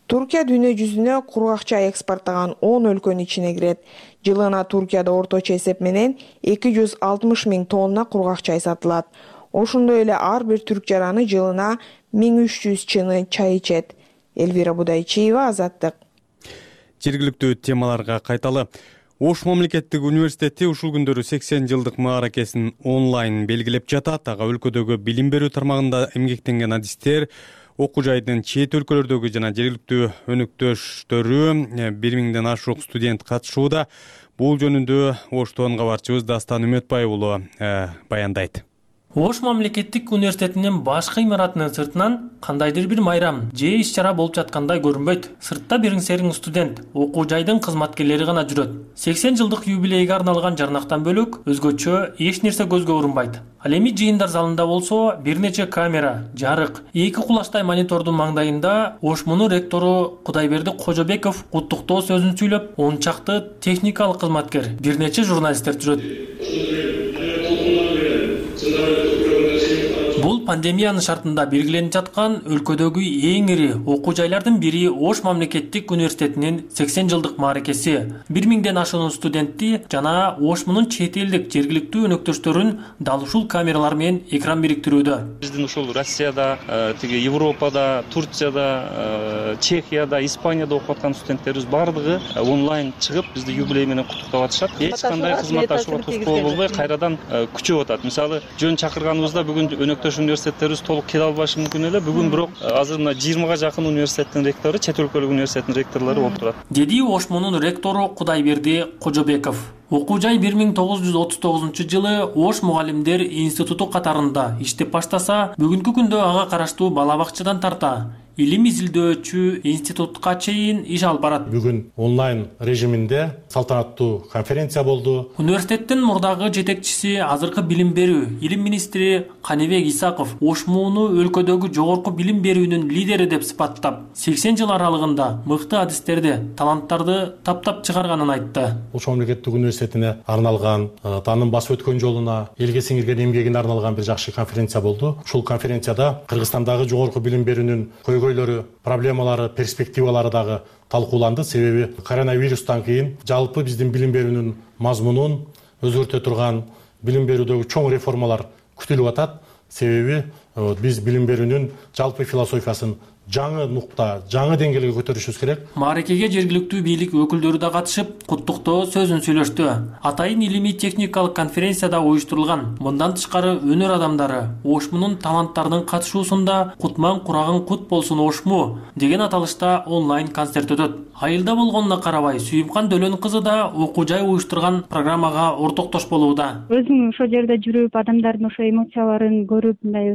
Туркия дүйнө жүзүнө кургак чай экспорттогон 10 өлкөнүн ичине кирет. Жылына Туркияда орточо эсеп менен 260 000 тонна кургак чай сатылат. Ошондой эле ар бир түрк жараны жылына 1300 чыны чай ичет. Элвира Будайчиева, Азаттык. Жергиликтүү темаларга кайталы. Ош мамлекеттик университети ушул күндөрү 80 жылдык мааракесин онлайн белгилеп жатат. Ага өлкөдөгү билим берүү тармагында эмгектенген адистер, окуу жайдын чет өлкөлөрдөгү жана жергиликтүү өнөктөштөрү 1000ден ашык студент катышууда. Бул жөнүндө Оштон кабарчыбыз Дастан Үмөтбай уулу баяндайт. Ош мамлекеттик университетинин башкы имаратынын сыртынан кандайдыр бир майрам же иш-чара болуп жаткандай көрүнбөйт. Сыртта бириң-сериң студент, окуу жайдын кызматкерлери гана жүрөт. 80 жылдык юбилейге арналган жарнактан бөлөк өзгөчө эч нерсе көзгө урунбайт. Ал эми жыйындар залында болсо бир нече камера, жарык, 2 кулачтай монитордун маңдайында Ошмунун ректору Кудайберди Кожобеков куттуктоо сөзүн сүйлөп, 10 чакты техникалык кызматкер, бир нече журналисттер жүрөт. Бул пандемиянын шартында белгиленип жаткан өлкөдөгү эң ири окуу жайлардын бири Ош мамлекеттик университетинин 80 жылдык мааракеси. 1000ден ашуун студентти жана Ошмунун чет элдик жергиликтүү өнөктөштөрүн дал ушул камералар менен экран бириктирүүдө. Биздин ушул Россияда, тиги Европада, Турцияда, Чехияда, Испанияда окуп аткан студенттерибиз бардыгы онлайн чыгып бизди юбилей менен куттуктап атышат. Эч кандай кызматташууга тоскоол болбой кайрадан күчөп атат. Мисалы, жөн чакырганыбызда бүгүн өнөктөш университеттерибиз толук келе албашы мүмкүн эле. Бүгүн бирок азыр мына 20га жакын университеттин ректору, чет өлкөлүк университеттин ректорлору болуп турат. Деди Ошмунун ректору Кудайберди Кожобеков. Окуу жай 1939 жылы Ош мугалимдер институту катарында иштеп баштаса, бүгүнкү күндө ага караштуу бала бакчадан тарта илим изилдөөчү институтка чейин иш алып барат. Бүгүн онлайн режиминде салтанаттуу конференция болду. Университеттин мурдагы жетекчиси, азыркы билим берүү илим министри Каныбек Исаков Ошмуну өлкөдөгү жогорку билим берүүнүн лидери деп сыпаттап, 80 жыл аралыгында мыкты адистерди, таланттарды таптап чыгарганын айтты. Ош мамлекеттик университетине арналган, таанын басып өткөн жолуна, элге сиңирген эмгегине арналган бир жакшы конференция болду. Ушул конференцияда Кыргызстандагы жогорку билим берүүнүн проблемалары, перспективалары дагы талкууланды. Себеби коронавирустан кийин жалпы биздин билим берүүнүн мазмунун өзгөртө турган билим берүүдөгү чоң реформалар күтүлүп атат. Себеби биз билим берүүнүн жалпы философиясын жаңы нукта, жаңы деңгээлге көтөрүшүбүз керек. Мааракеге жергиликтүү бийлик өкүлдөрү да катышып, куттуктоо сөзүн сүйлөштү. Атайын илимий техникалык конференцияда уюштурулган. Мындан тышкары өнөр адамдары Ошмунун таланттарынын катышуусунда Кутман курагын кут болсун Ошму деген аталышта онлайн концерт өтөт. Айылда болгонуна карабай, Сүйүмкан Дөлөн кызы да окуу жай уюштурган программага ортоктош болууда. Өзүм ошол жерде жүрүп, адамдардын ошо эмоцияларын көрүп, мындай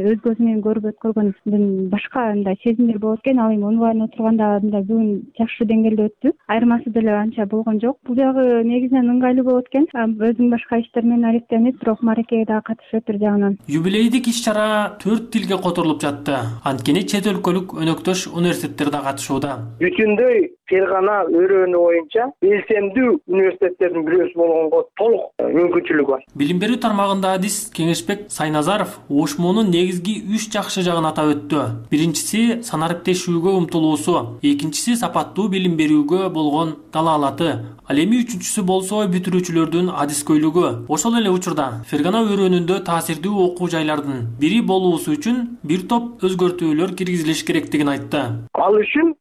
өз көзүм менен көрүп өткөргөндөн башка мындай сезимдер болот экен. Ал эми онлайн отурганда мындай бүгүн жакшы деңгээлде өттү. Айырмасы деле анча болгон жок. Бул жагы негизинен ыңгайлуу болот экен. Өзүм башка иштер менен алектенип, бирок мааракеге дагы катышып бир жагынан. Юбилейдик иш-чара 4 тилге которулуп жатты. Анткени чет өлкөлүк өнөктөш университеттер да катышууда. Бүтүндөй фергана өрөөнү боюнча белсемдүү университеттердин бирөөсү болгонго толук мүмкүнчүлүк бар. Билим берүү тармагында адис Кеңешбек Сайназаров Ошмунун негизги 3 жакшы жагын атап өттү. Биринчиси санариптешүүгө умтулуусу, экинчиси сапаттуу билим берүүгө болгон далаалаты, ал эми үчүнчүсү болсо бүтүрүүчүлөрдүн адискөйлүгү. Ошол эле учурда фергана өрөөнүндө таасирдүү окуу жайлардын бири болуусу үчүн бир топ өзгөртүүлөр киргизилиш керектигин айтты. Ал үчүн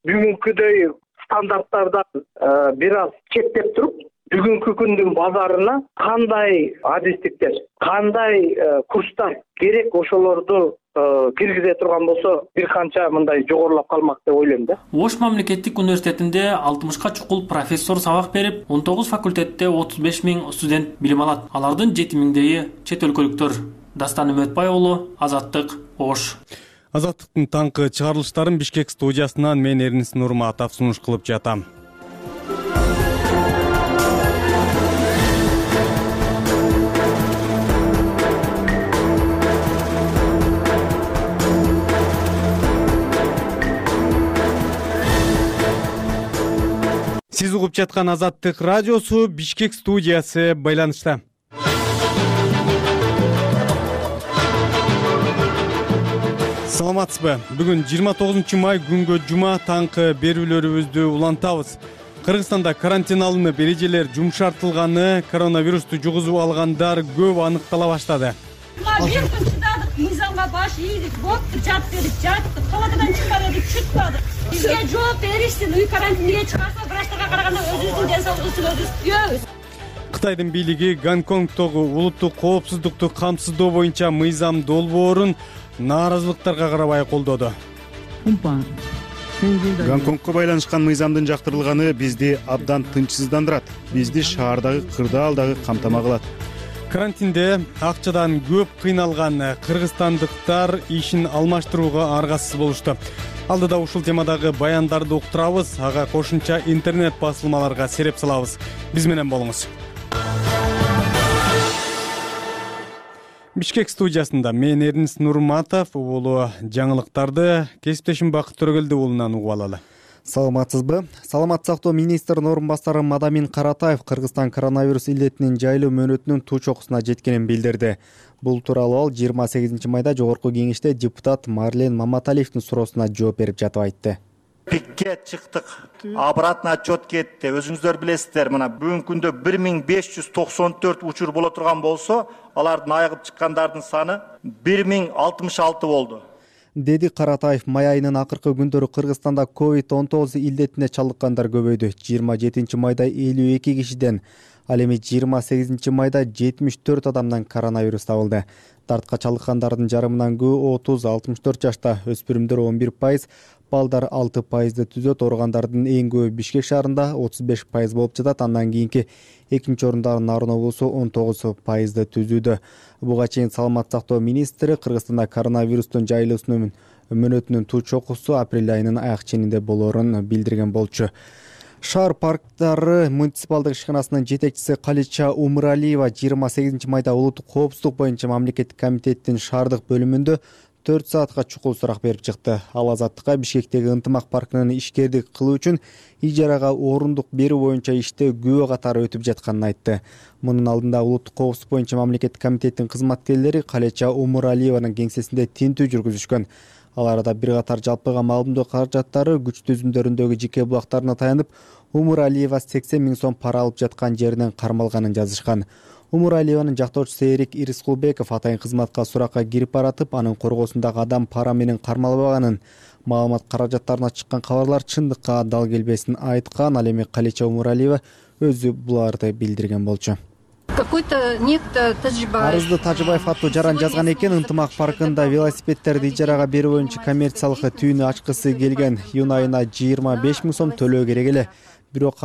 бүгүнкүдөй стандарттардан бир аз четтеп туруп, бүгүнкү күндүн базарына кандай адистиктер, кандай курстар керек, ошолорду киргизе турган болсо бир канча мындай жогорулап калмак деп ойлойм да. Ош мамлекеттик университетинде 60 чукул профессор сабак берип, 19 факультетте 35 000 студент билим алат. Алардын 7 000 чет өлкөлүктөр. Дастан Үмөтбай уулу, Азаттык, Ош. Азаттыктын таңкы чыгарылыштарын Бишкек студиясынан мен Эрнис Нурматов сунуш кылып жатам. Сиз угуп жаткан Азаттык радиосу, Бишкек студиясы байланышта. Саламатсызбы? Бүгүн 29 май күнгө жума таңкы берүүлөрүбүздү улантабыз. Кыргызстанда карантин алынып, эрежелер жумшартылганы, коронавирусту жугузуп алгандар көп аныктала баштады. Бир күн чыдадык, мыйзамга баш ийдик, бопту, жат дедик, жаттык, палатадан чыга дедик, чыкпадык. Бизге жооп беришсин, үй карантинге чыгарса, врачтарга караганда өзүбүздүн ден соолугубузду өзүбүз күйөбүз. Кытайдын бийлиги Гонконгдогу улуттук коопсуздукту камсыздоо боюнча мыйзам долбоорун нааразылыктарга карабай колдоду. Гонконгко байланышкан мыйзамдын жактырылганы бизди абдан тынчсыздандырат. Бизди шаардагы кырдаалдагы камтама кылат. Карантинде акчадан көп кыйналган кыргызстандыктар ишин алмаштырууга аргасыз болушту. Алдыда ушул темадагы баяндарды уктурабыз, ага кошумча интернет басылмаларга сереп салабыз. Биз менен болуңуз. Бишкек студиясында мен Эрнис Нурматов уулу жаңылыктарды кесиптешим Бакыт Төрөгелди уулунан угуп алалы. Саламатсызбы? Саламат сактоо министринин орун басары Мадамин Каратаев Кыргызстан коронавирус илдетинин жайлуу мөөнөтүнүн туу чокусуна жеткенин билдирди. Бул тууралуу ал 28 майда жогорку кеңеште депутат Марлен Маматалиевдин суроосуна жооп берип жатып айтты. Пикке чыктык, обратно отчет кетти. Өзүңүздөр билесиздер, мына бүгүнкү күндө 1594 учур боло турган болсо, алардын айыгып чыккандардын саны 1066 болду. Деди Каратаев. Май айынын акыркы күндөрү Кыргызстанда COVID-19 илдетине чалдыккандар көбөйдү. 27 майда 52 кишиден, ал эми 28 майда 74 адамдан коронавирус табылды. Дартка чалдыккандардын жарымынан көбү 30-64 жашта, өспүрүмдөр 11%, балдар 6%ды түзөт. Ооругандардын эң көбү Бишкек шаарында 35% болуп жатат. Андан кийинки экинчи орунда Нарын облусу 19%ды түзүүдө. Буга чейин Саламат сактоо министри Кыргызстанда коронавирустун жайылуусунун мөөнөтүнүн туу чокусу апрель айынын аяк ченинде болоорун билдирген болчу. Шаар парктары муниципалдык ишканасынын жетекчиси Калича Умуралиева 28 майда улуттук коопсуздук боюнча мамлекеттик комитеттин шаардык бөлүмүндө 4 саатка чукул сурак берип чыкты. Ал Азаттыкка Бишкектеги ынтымак паркынын ишкердик кылуу үчүн ижарага орундук берүү боюнча иште күбө катары өтүп жатканын айтты. Мунун алдында улуттук коопсуздук боюнча мамлекеттик комитеттин кызматкерлери Калича Умуралиеванын кеңсесинде тинтүү жүргүзүшкөн. Ал арада бир катар жалпыга маалымдоо каражаттары күч түзүмдөрүндөгү жеке булактарына таянып, Умуралиева 80 000 сом пара алып жаткан жеринен кармалганын жазышкан. Умуралиеванын жактоочусу Эрик Ирискулбеков атайын кызматка суракка кирип баратып, анын коргоосундагы адам пара менен кармалбаганын, маалымат каражаттарына чыккан кабарлар чындыкка дал келбесин айткан. Ал эми Калича Умуралиева өзү буларды билдирген болчу. Какой-то некто Тажибаев. Арызды Тажибаев аттуу жаран жазган экен. Ынтымак паркында велосипедтерди ижарага берүү боюнча коммерциялык түйүнү ачкысы келген. Июнь айына 25 000 сом төлөө керек эле. Бирок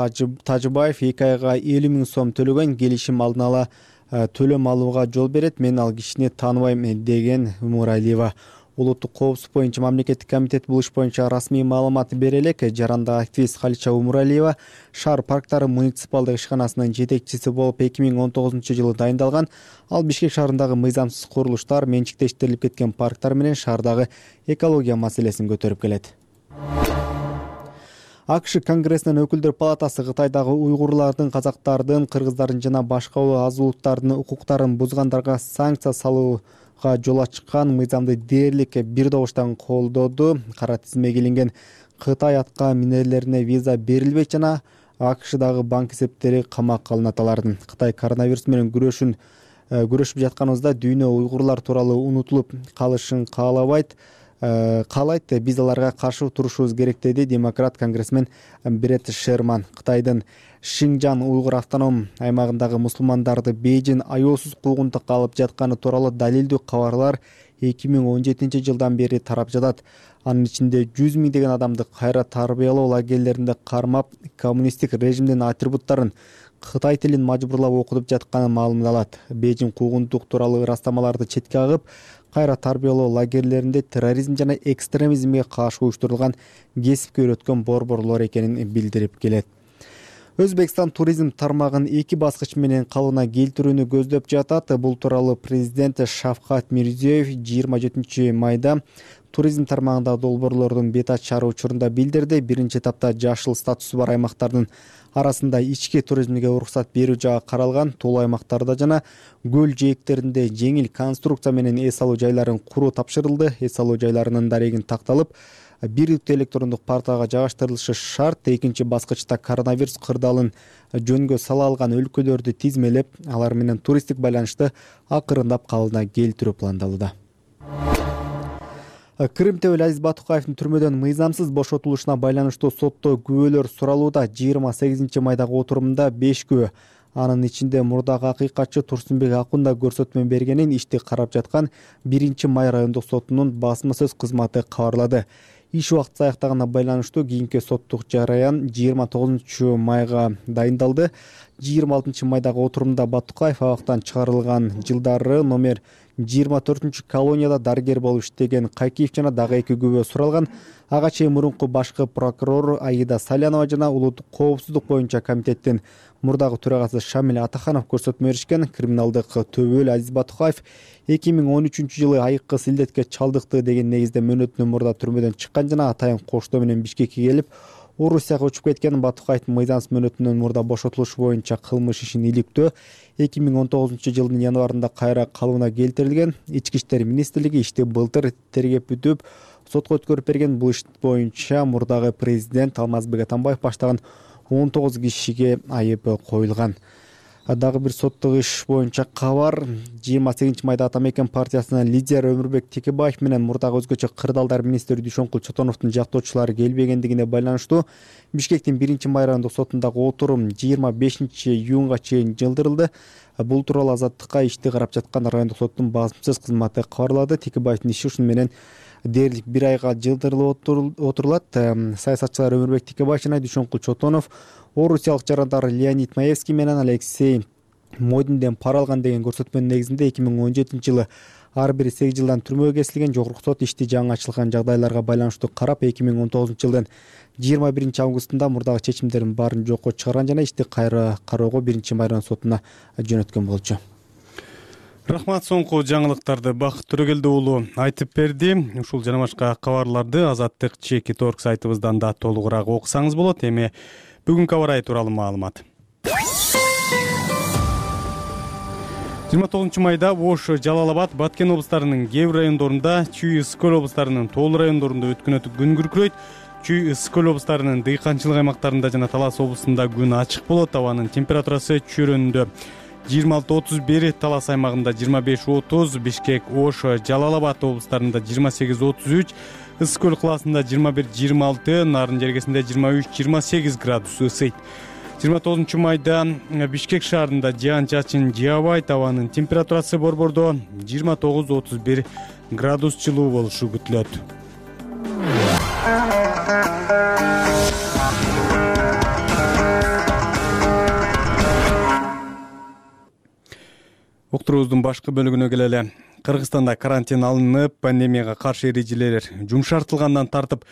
Тажибаев 2 айга 50 000 сом төлөгөн. Келишим алдын ала төлөм алууга жол берет. Мен ал кишини тааныбайм деген Умуралиева. Улуттук коопсуздук боюнча мамлекеттик комитет бул иш боюнча расмий маалымат бере элек. Жарандагы активист Калича Умуралиева шаар парктары муниципалдык ишканасынын жетекчиси болуп 2019 жылы дайындалган. Ал Бишкек шаарындагы мыйзамсыз курулуштар, менчиктештирилип кеткен парктар менен шаардагы экология маселесин көтөрүп келет. АКШ Конгрессинин өкүлдөр палатасы Кытайдагы уйгурлардын, казактардын, кыргыздардын жана башка аз улуттардын укуктарын бузгандарга санкция салууга жол ачкан мыйзамды дээрлик бир добуштан колдоду. Кара тизимге илинген Кытай атка минерлерине виза берилбейт жана АКШдагы банк эсептери камакка алынат алардын. Кытай коронавирус менен күрөшүп жатканыбызда дүйнө уйгурлар тууралуу унутулуп калышын каалайт. Биз аларга каршы турушубуз керек, деди демократ конгрессмен Брет Шерман. Кытайдын Шинжан уйгур автоном аймагындагы мусулмандарды бейжин аяосуз куугунтукка алып жатканы тууралуу далилдүү кабарлар 2017 жылдан бери тарап жатат. Анын ичинде 100 миңдеген адамды кайра тарбиялоо лагерлеринде кармап, коммунисттик режимдин атрибуттарын, Кытай тилин мажбурлап окутуп жатканы маалымдалат. Бейжиң куугунтук тууралуу ырастамаларды четке агып, кайра тарбиялоо лагерлеринде терроризм жана экстремизмге каршы уюштурулган кесипке үйрөткөн борборлор экенин билдирип келет. Өзбекстан туризм тармагын 2 баскыч менен калыбына келтирүүнү көздөп жатат. Бул тууралуу президент Шавкат Мирзиёев 27 майда туризм тармагында долбоорлордун бет ачары учурунда билдирди. Биринчи этапта жашыл статусу бар аймактардын арасында ички туризмге уруксат берүү жагы каралган. Тол аймактарда жана көл жээктеринде жеңил конструкция менен эс алуу жайларын куруу тапшырылды. Эс алуу жайларынын дарегин такталып, бирликтүү электрондук порталга жайгаштырылышы шарт. Экинчи баскычта коронавирус кырдаалын жөнгө сала алган өлкөлөрдү тизмелеп, алар менен туристтик байланышты акырындап калыбына келтирүү пландалууда. Кырымтебел Азиз Батукаевдин түрмөдөн мыйзамсыз бошотулушуна байланыштуу сотто күбөлөр суралууда. 28 майдагы отурумда 5 күбө, анын ичинде мурдагы акыйкатчы Турсунбек Акунда көрсөтмө бергенин ишти карап жаткан 1-май райондук сотунун басма сөз кызматы кабарлады. Иш убакыты аяктаганына байланыштуу кийинки соттук жараян 29 майга дайындалды. 26 майдагы отурумда Батукаев абактан чыгарылган жылдары номер 24 колонияда дарыгер болуп иштеген Кайкиев жана дагы 2 күбө суралган. Ага чейин мурунку башкы прокурор Аида Салянова жана улуттук коопсуздук боюнча комитеттин мурдагы төрагасы Шамил Атаханов көрсөтмө беришкен. Криминалдык төбөл Азиз Батукаев 2013 жылы айыккы силдетке чалдыкты деген негизде мөөнөтүнөн мурда түрмөдөн чыккан жана атайын коштоо менен Бишкекке келип, Орусияга учуп кеткен. Батукаевдин мыйзамсыз мөөнөтүнөн мурда бошотулушу боюнча кылмыш ишин иликтөө 2019 жылдын январында кайра калыбына келтирилген. Ички иштер министрлиги ишти былтыр тергеп бүтүп, сотко өткөрүп берген. Бул иш боюнча мурдагы президент Алмазбек Атамбаев баштаган 19 кишиге айып коюлган. Дагы бир соттук иш боюнча кабар. 28 майда Ата Мекен партиясынын лидери Өмүрбек Текебаев менен мурдагы өзгөчө кырдаалдар министри Дүйшөнкул Чотоновдун жактоочулары келбегендигине байланыштуу Бишкектин 1-май райондук сотундагы отурум 25 июнга чейин жылдырылды. Бул тууралуу Азаттыкка ишти карап жаткан райондук соттун басма сөз кызматы кабарлады. Текебаевдин иши ушуну менен дээрлик 1 айга жылдырылып отурулат. Саясатчылар Өмүрбек Текебаев жана Дүйшөнкул Чотонов орусиялык жарандар Леонид Маевский менен Алексей Модинден пара алган деген көрсөтмөнүн негизинде 2017 жылы ар бири 8 жылдан түрмөгө кесилген. Жогорку сот ишти жаңы ачылган жагдайларга байланыштуу карап 2019 жылдын 21 августунда мурдагы чечимдердин баарын жокко чыгарган жана ишти кайра кароого 1-май район сотуна жөнөткөн болчу. Рахмат, соңку жаңылыктарды Бакыт Төрөгелди уулу айтып берди. Ушул жана башка кабарларды Азаттык Чеки.орг сайтыбыздан да толугураак окусаңыз болот. Эми бүгүнкү аба ырайы тууралуу маалымат. 29 майда Ош, Жалал Абад, Баткен облустарынын кээ бир райондорунда, Чүй, Ысык-Көл облустарынын тоолуу райондорунда өткүнөтүк күн күркүрөйт. Чүй, Ысык-Көл облустарынын дыйканчылык аймактарында жана Талас облусунда күн ачык болот. Абанын температурасы чөйрөнүндө 26-31, Талас аймагында 25-30, Бишкек, Ош, Жалал Абад облустарында 28-33, Ысык-Көл калаасында 21-26, Нарын жергесинде 23-28 градус ысыйт. 29 майда Бишкек шаарында жаан-чачын жаабайт. Абанын температурасы борбордо 29-31 градус жылуу болушу күтүлөт. Уктуруубуздун башкы бөлүгүнө келели. Кыргызстанда карантин алынып, пандемияга каршы эрежелер жумшартылгандан тартып,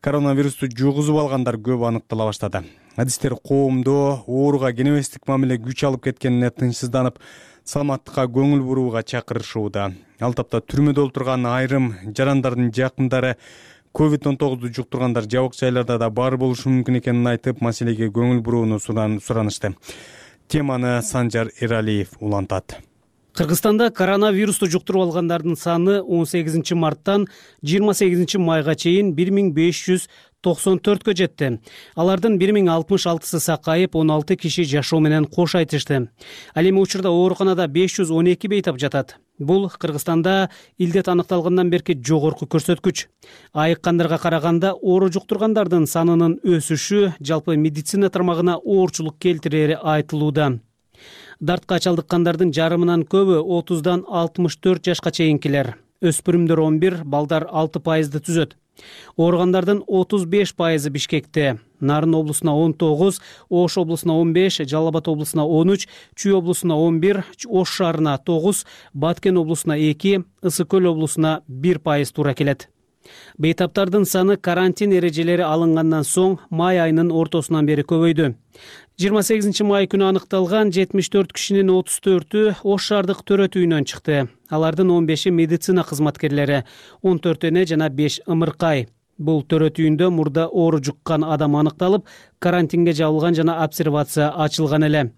коронавирусту жугузуп алгандар көп аныктала баштады. Адистер коомдо ооруга кенебестик мамиле күч алып кеткенине тынчсызданып, саламаттыкка көңүл бурууга чакырышууда. Ал тапта түрмөдө отурган айрым жарандардын жакындары COVID-19 жуктургандар жабык жайларда да бар болушу мүмкүн экенин айтып, маселеге көңүл бурууну суранышты. Теманы Санжар Эралиев улантат. Кыргызстанда коронавирусту жуктуруп алгандардын саны 18 марттан 28 майга чейин 1594кө жетти. Алардын 1066сы сакайып, 16 киши жашоо менен кош айтышты. Ал эми учурда ооруканада 512 бейтап жатат. Бул Кыргызстанда илдет аныкталгандан берки жогорку көрсөткүч. Айыккандарга караганда оору жуктургандардын санынын өсүшү жалпы медицина тармагына оорчулук келтирери айтылууда. Дартка чалдыккандардын жарымынан көбү 30-дан 64 жашка чейинкилер. өспүрүмдөр 11, балдар 6% түзөт. Ооругандардын 35% Бишкекте, Нарын облусуна 19, Ош облусуна 15, Жалал Абад облусуна 13, Чүй облусуна 11, Ош шаарына 9, Баткен облусуна 2, Ысык көл облусуна 1% туура келет. Бейтаптардын саны карантин эрежелери алынгандан соң май айынын ортосунан бери көбөйдү. 28 май күнү аныкталган 74 кишинин 34-ü Ош шаардык төрөт үйүнөн чыкты. Алардын 15-и медицина кызматкерлери, 14 эне жана 5 ымыркай. Бул төрөт үйүндө мурда оору жуккан адам аныкталып, карантинге жабылган жана обсервация ачылган эле.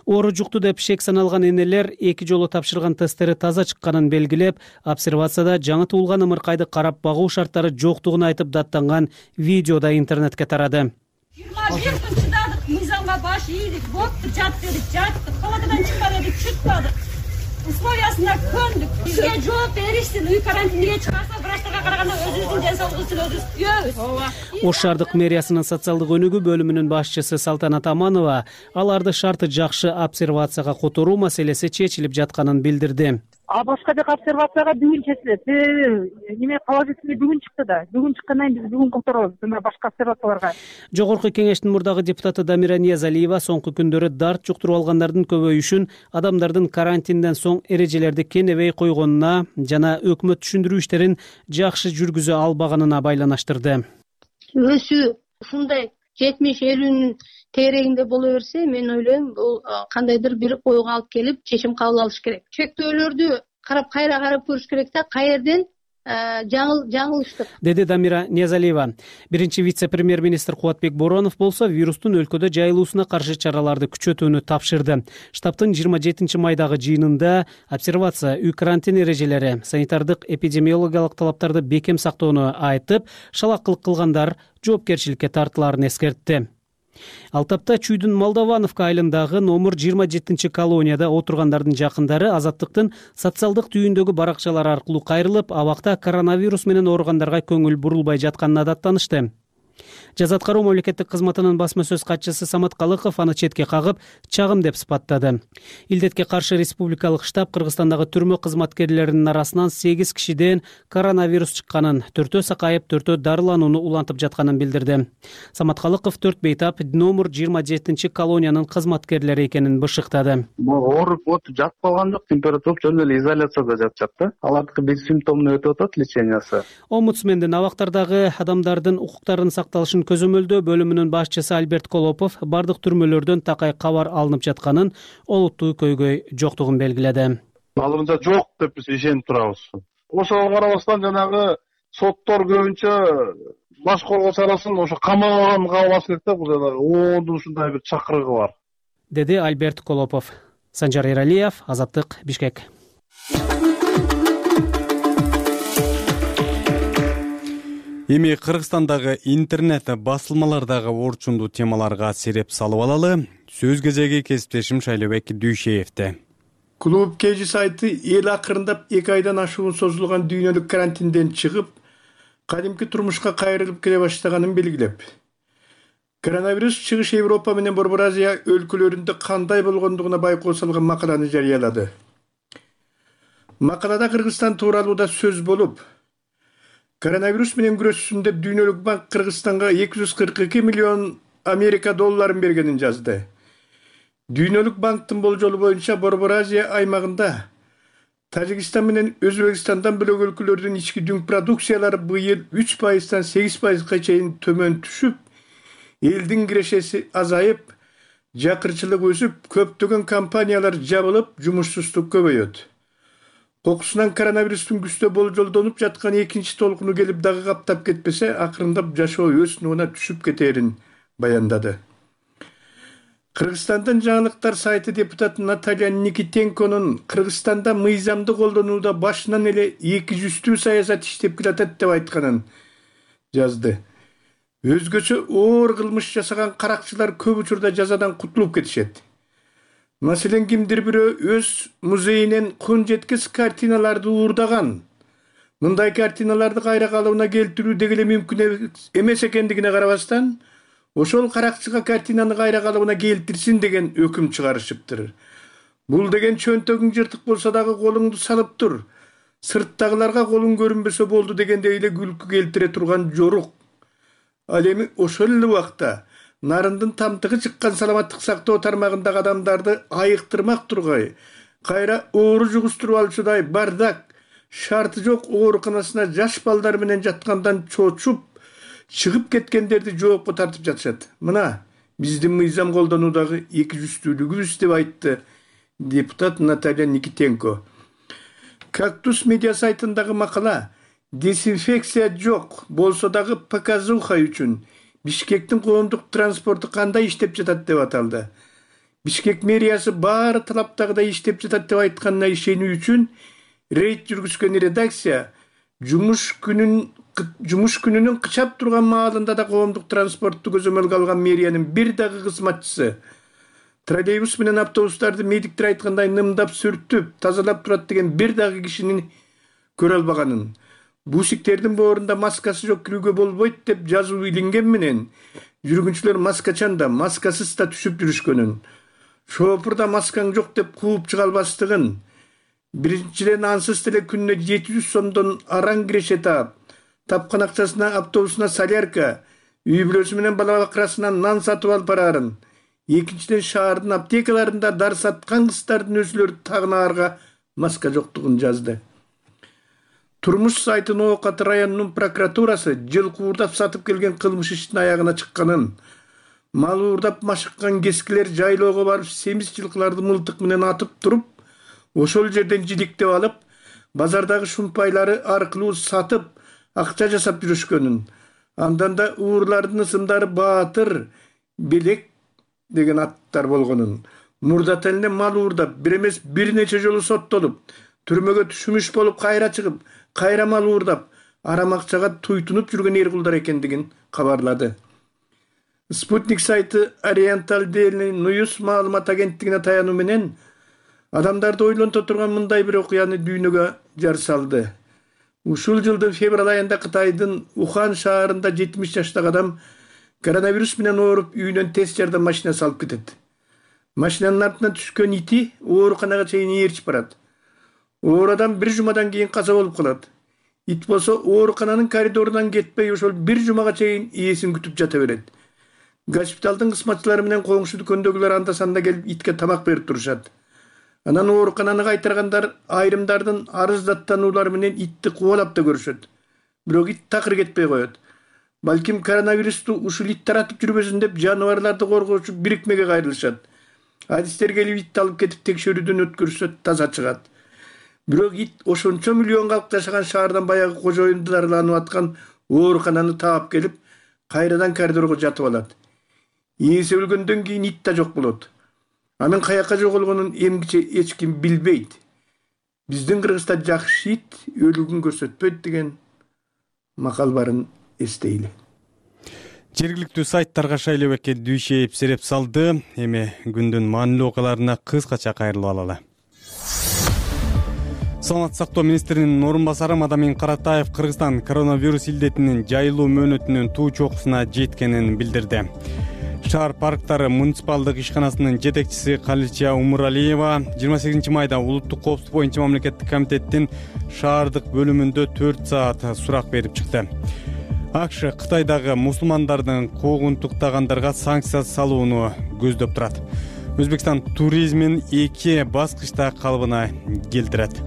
Оору жукту деп шек саналган энелер 2 жолу тапшырган тесттери таза чыкканын белгилеп, обсервацияда жаңы туулган ымыркайды карап багуу шарттары жоктугун айтып даттанган видео да интернетке тарады. 21 күн чыдадык, мыйзамга баш ийдик, бопту, жат дедик, жаттык, палатадан чыкпа дедик, чыкпадык. Условиясына көндүк. Бизге жооп беришсин, үй карантинге чыгарса, врачтарга караганда өзүбүздүн ден соолугубузду өзүбүз түзөбүз. Ош шаардык мэриясынын социалдык өнүгүү бөлүмүнүн башчысы Салтанат Аманова аларды шарты жакшы обсервацияга которуу маселеси чечилип жатканын билдирди. Башка жака обсервацияга бүгүн чечилет. Неме положительный бүгүн чыкты да. Бүгүн чыккандан кийин биз бүгүн которобуз жана башка обсервацияларга. Жогорку кеңештин мурдагы депутаты Дамира Ниязалиева соңку күндөрү дарт жуктуруп алгандардын көбөйүшүн адамдардын карантинден соң эрежелерди кенебей койгонуна жана өкмөт түшүндүрүү иштерин жакшы жүргүзө албаганына байланыштырды. Өсүү ушундай 70-50-нин тегерегинде боло берсе, мен ойлойм, бул кандайдыр бир ойго алып келип, чечим кабыл алыш керек. Чектөөлөрдү кайра карап көрүш керек да, каерден жаңылыштык, деди Дамира Ниязалиева. Биринчи вице-премьер-министр Кубатбек Боронов болсо вирустун өлкөдө жайылуусуна каршы чараларды күчөтүүнү тапшырды. Штабтын 27 майдагы жыйынында обсервация, үй карантин эрежелери, санитардык эпидемиологиялык талаптарды бекем сактоону айтып, шалакылык кылгандар жоопкерчиликке тартылаарын эскертти. Ал тапта Чүйдүн Молдовановка айылындагы номер 27 колонияда отургандардын жакындары Азаттыктын социалдык түйүндөгү баракчалары аркылуу кайрылып, абакта коронавирус менен ооругандарга көңүл бурулбай жатканына даттанышты. Жаза аткаруу мамлекеттик кызматынын басма сөз катчысы Самат Калыков аны четке кагып, чагым деп сыпаттады. Илдетке каршы республикалык штаб Кыргызстандагы түрмө кызматкерлеринин арасынан 8 кишиден коронавирус чыкканын, 4-өө сакайып, 4-өө дарыланууну улантып жатканын билдирди. Самат Калыков 4 бейтап номер 27 колониянын кызматкерлери экенин бышыктады. Ооруп жатып калган жок, температура жөн эле изоляцияда жатышат да. Алардыкы бессимптомный өтүп атат лечениясы. Омбудсмендин абактардагы адамдардын укуктарынын сакталышын көзөмөлдөө бөлүмүнүн башчысы Альберт Колопов бардык түрмөлөрдөн такай кабар алынып жатканын, олуттуу көйгөй жоктугун белгиледи. Алымда жок деп биз ишенип турабыз. Ошого карабастан жанагы соттор көбүнчө баш коргоо чарасын ошо камаганга албаш керек да, бул оондун ушундай бир чакырыгы бар, деди Альберт Колопов. Санжар Эралиев, Азаттык, Бишкек. Эми Кыргызстандагы интернет басылмалардагы орчундуу темаларга сереп салып алалы. Сөз кезеги кесиптешим Шайлообек Дүйшеевде. Клуб Кежи сайты эл акырындап 2 айдан ашуун созулган дүйнөлүк карантинден чыгып, кадимки турмушка кайрылып келе баштаганын белгилеп, коронавирус чыгыш Европа менен Борбор Азия өлкөлөрүндө кандай болгондугуна байкоо салган макаланы жарыялады. Макалада Кыргызстан тууралуу да сөз болуп, коронавирус менен күрөшсүн деп Дүйнөлүк банк Кыргызстанга 242 миллион Америка долларын бергенин жазды. Дүйнөлүк банктын болжолу боюнча Борбор Азия аймагында Тажикстан менен Өзбекстандан бөлөк өлкөлөрдүн ички дүң продукциялары быйыл 3%-тан 8%га чейин төмөн түшүп, элдин кирешеси азайып, жакырчылык өсүп, көптөгөн компаниялар жабылып, жумушсуздук көбөйөт. Кокусунан коронавирустун күчтүү болжолдонуп жаткан экинчи толкуну келип дагы каптап кетпесе, акырындап жашоо өз нугуна түшүп кетерин баяндады. Кыргызстандын жаңылыктар сайты депутаты Наталья Никитенконун Кыргызстанда мыйзамды колдонууда башынан эле 200 саясат иштеп келатат деп айтканын жазды. Өзгөчө оор кылмыш жасаган каракчылар көп учурда жазадан кутулуп кетишет. Маселен, кимдир бирөө өз музейинен кун жеткис картиналарды уурдаган. Мындай картиналарды кайра калыбына келтирүү деги эле мүмкүн эмес экендигине карабастан, ошол каракчыга картинаны кайра калыбына келтирсин деген өкүм чыгарышыптыр. Бул деген чөнтөгүң жыртык болсо дагы колуңду салып тур. сырттагыларга колуң көрүнбөсө болду дегендей эле күлкү келтире турган жорук. Ал эми ошол эле убакта нарындын тамтыгы чыккан саламаттык сактоо тармагындагы адамдарды айыктырмак тургай, кайра оору жугуштуруп алчудай бардак, шарты жок ооруканасына жаш балдар менен жаткандан чочуп чыгып кеткендерди жоопко тартып жатышат. Мына биздин мыйзам колдонуудагы эки жүздүүлүгүбүз деп айтты депутат Наталья Никитенко. Кактус медиа сайтындагы макала дезинфекция жок болсо дагы показуха үчүн Бишкектин коомдук транспорту кандай иштеп жатат деп аталды. Бишкек мэриясы баары талаптагыдай иштеп жатат деп айтканына ишенүү үчүн рейд жүргүзгөн редакция жумуш күнүнүн кычап турган маалында да коомдук транспортту көзөмөлгө алган мэриянын бир дагы кызматчысы троллейбус менен автобустарды медиктер айткандай нымдап сүртүп тазалап турат деген бир дагы кишини көрө албаганын, бусиктердин боорунда маскасы жок кирүүгө болбойт деп жазуу илинген менен жүргүнчүлөр маскачан да маскасыз да түшүп жүрүшкөнүн, шоопур да маскаң жок деп кууп чыга албастыгын, биринчиден ансыз деле күнүнө 700 сомдон араң киреше таап, тапкан акчасына автобусуна солярка, үй бүлөсү менен бала бакырасынан нан сатып алып бараарын, экинчиден шаардын аптекаларында дар саткан кыздардын өзүлөрү тагынаарга маска жоктугун жазды. Турмуш сайтын Оокат районунун прокуратурасы жылкы уурдап сатып келген кылмыш иштин аягына чыкканын, мал уурдап машыккан кескилер жайлоого барып семиз жылкыларды мылтык менен атып туруп, ошол жерден жидиктеп алып, базардагы шумпайлары аркылуу сатып, акча жасап жүрүшкөнүн, андан да уурлардын ысымдары Баатыр, Белек деген аттар болгонун, мурдат эле мал уурдап, бир эмес бир нече жолу соттолуп, түрмөгө түшүмүш болуп кайра чыгып, кайра мал уурдап, арам акчага туйтунуп жүргөн эркулдар экендигин кабарлады. Спутник сайты Oriental Daily News маалымат агенттигине таянуу менен адамдарды ойлонто турган мындай бир окуяны дүйнөгө жар салды. Ушул жылдын февраль айында Кытайдын Ухан шаарында 70 жаштагы адам коронавирус менен ооруп үйүнөн тез жардам машинасы алып кетет. Машинанын артынан түшкөн ити ооруканага чейин ээрчип барат. Оор адам бир жумадан кийин каза болуп калат. Ит болсо оорукананын коридорунан кетпей ошол бир жумага чейин ээсин күтүп жата берет. Госпиталдын кызматчылары менен коңшу дүкөндөгүлөр анда-санда келип итке тамак берип турушат. Анан оорукананы кайтаргандар айрымдардын арыздаттануулары менен итти кубалап да көрүшөт. Бирок ит такыр кетпей коет. Балким коронавирусту ушул ит таратып жүрбөсүн деп жаныбарларды коргоочу бирикмеге кайрылышат. Адистер келип итти алып кетип текшерүүдөн өткөрүшсө таза чыгат. Бирок ит ошончо миллион калк жашаган шаардан баягы кожоюнду дарыланып аткан оорукананы таап келип, кайрадан коридорго жатып алат. Ээси өлгөндөн кийин ит да жок болот. Анын каяка жоголгонун эмгиче эч ким билбейт. Биздин Кыргызда жакшы ит өлүгүн көрсөтпөйт деген макал барын эстейли. Жергиликтүү сайттарга шайлообекке Дүйшеев сереп салды. Эми күндүн маанилүү окуяларына кыскача кайрылып алалы. Саламаттык сактоо министринин орун басары Мадамин Каратаев Кыргызстан коронавирус илдетинин жайылуу мөөнөтүнүн туу чокусуна жеткенин билдирди. Шаар парктары муниципалдык ишканасынын жетекчиси Калича Умуралиева 28 майда улуттук коопсуздук боюнча мамлекеттик комитеттин шаардык бөлүмүндө 4 саат сурак берип чыкты. АКШ Кытайдагы мусулмандардын куугунтуктагандарга санкция салууну көздөп турат. Өзбекстан туризмин 2 баскычта калыбына келтирет.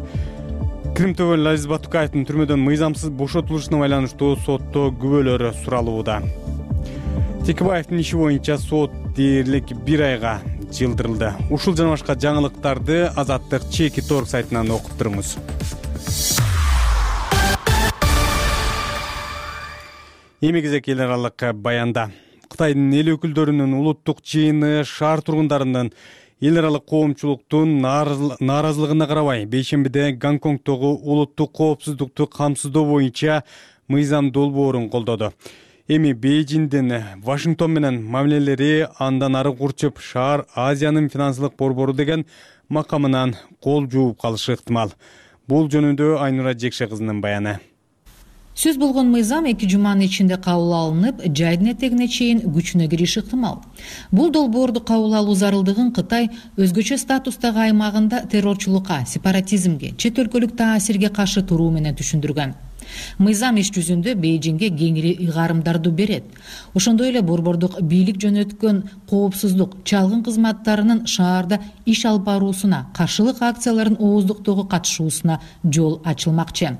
Крим ТВ Лазиз Батукаевдин түрмөдөн мыйзамсыз бошотулушуна байланыштуу сотто күбөлөрү суралууда. Текебаевдин иши боюнча сот дээрлик 1 айга жылдырылды. Ушул жана башка жаңылыктарды Азаттык Чеки Торг сайтынан окуп туруңуз. Эми кезек эл аралык баянда. Кытайдын эл өкүлдөрүнүн улуттук жыйыны шаар тургундарынын эл аралык коомчулуктун нааразылыгына карабай, бейшембиде Гонконгдогу улуттук коопсуздукту камсыздоо боюнча мыйзам долбоорун колдоду. Эми Бейжиңдин Вашингтон менен мамилелери андан ары курчуп, шаар Азиянын финансылык борбору деген макамынан кол жууп калышы ыктымал. Бул жөнүндө Айнура Жекше кызынын баяны. Сөз болгон мыйзам 2 жуманын ичинде кабыл алынып, жайдын этегине чейин күчүнө кириши ыктымал. Бул долбоорду кабыл алуу зарылдыгын Кытай өзгөчө статустагы аймагында террорчулукка, сепаратизмге, чет өлкөлүк таасирге каршы туруу менен түшүндүргөн. Мыйзам иш жүзүндө Бейжиңге кеңири ыйгарымдарды берет. Ошондой эле борбордук бийлик жөнөткөн коопсуздук, чалгын кызматтарынын шаарда иш алып баруусуна, каршылык акциялардын ооздуктоого катышуусуна жол ачылмакчы.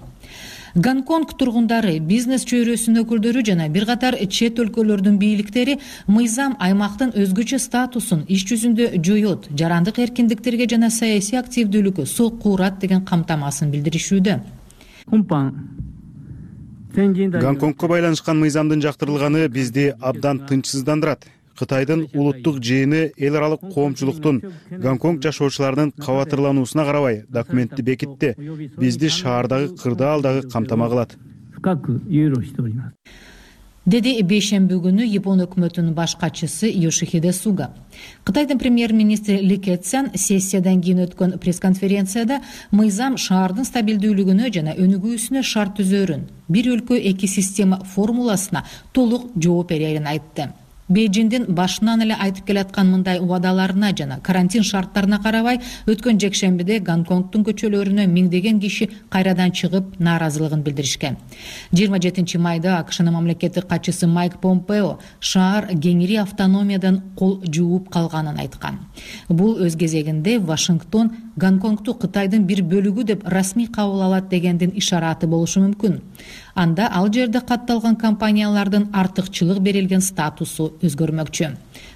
Гонконг тургундары, бизнес чөйрөсүнүн өкүлдөрү жана бир катар чет өлкөлөрдүн бийликтери мыйзам аймактын өзгөчө статусун иш жүзүндө жоет, жарандык эркиндиктерге жана саясий активдүүлүккө сокку урат деген камтамасын билдиришүүдө. Гонконгко байланышкан мыйзамдын жактырылганы бизди абдан тынчсыздандырат. Кытайдын улуттук жыйыны эл аралык коомчулуктун Гонконг жашоочуларынын кабатырлануусуна карабай документти бекитти. Бизди шаардагы кырдаалдагы камтама кылат. Деди бейшемби күнү Япон өкмөтүнүн баш катчысы Йошихиде Суга. Кытайдын премьер-министри Ли Кэцян сессиядан кийин өткөн пресс-конференцияда мыйзам шаардын стабилдүүлүгүнө жана өнүгүүсүнө шарт түзөрүн, бир өлкө эки система формуласына толук жооп берерин айтты. Бейжиңдин башынан эле айтып келаткан мындай убадаларына жана карантин шарттарына карабай, өткөн жекшембиде Гонконгдун көчөлөрүнө миңдеген киши кайрадан чыгып нааразылыгын билдиришкен. 27 майда АКШнын мамлекеттик катчысы Майк Помпео шаар кеңири автономиядан кол жууп калганын айткан. Бул өз кезегинде Вашингтон Гонконгду Кытайдын бир бөлүгү деп расмий кабыл алат дегендин ишараты болушу мүмкүн. Анда ал жерде катталган компаниялардын артыкчылык берилген статусу өзгөрмөкчү.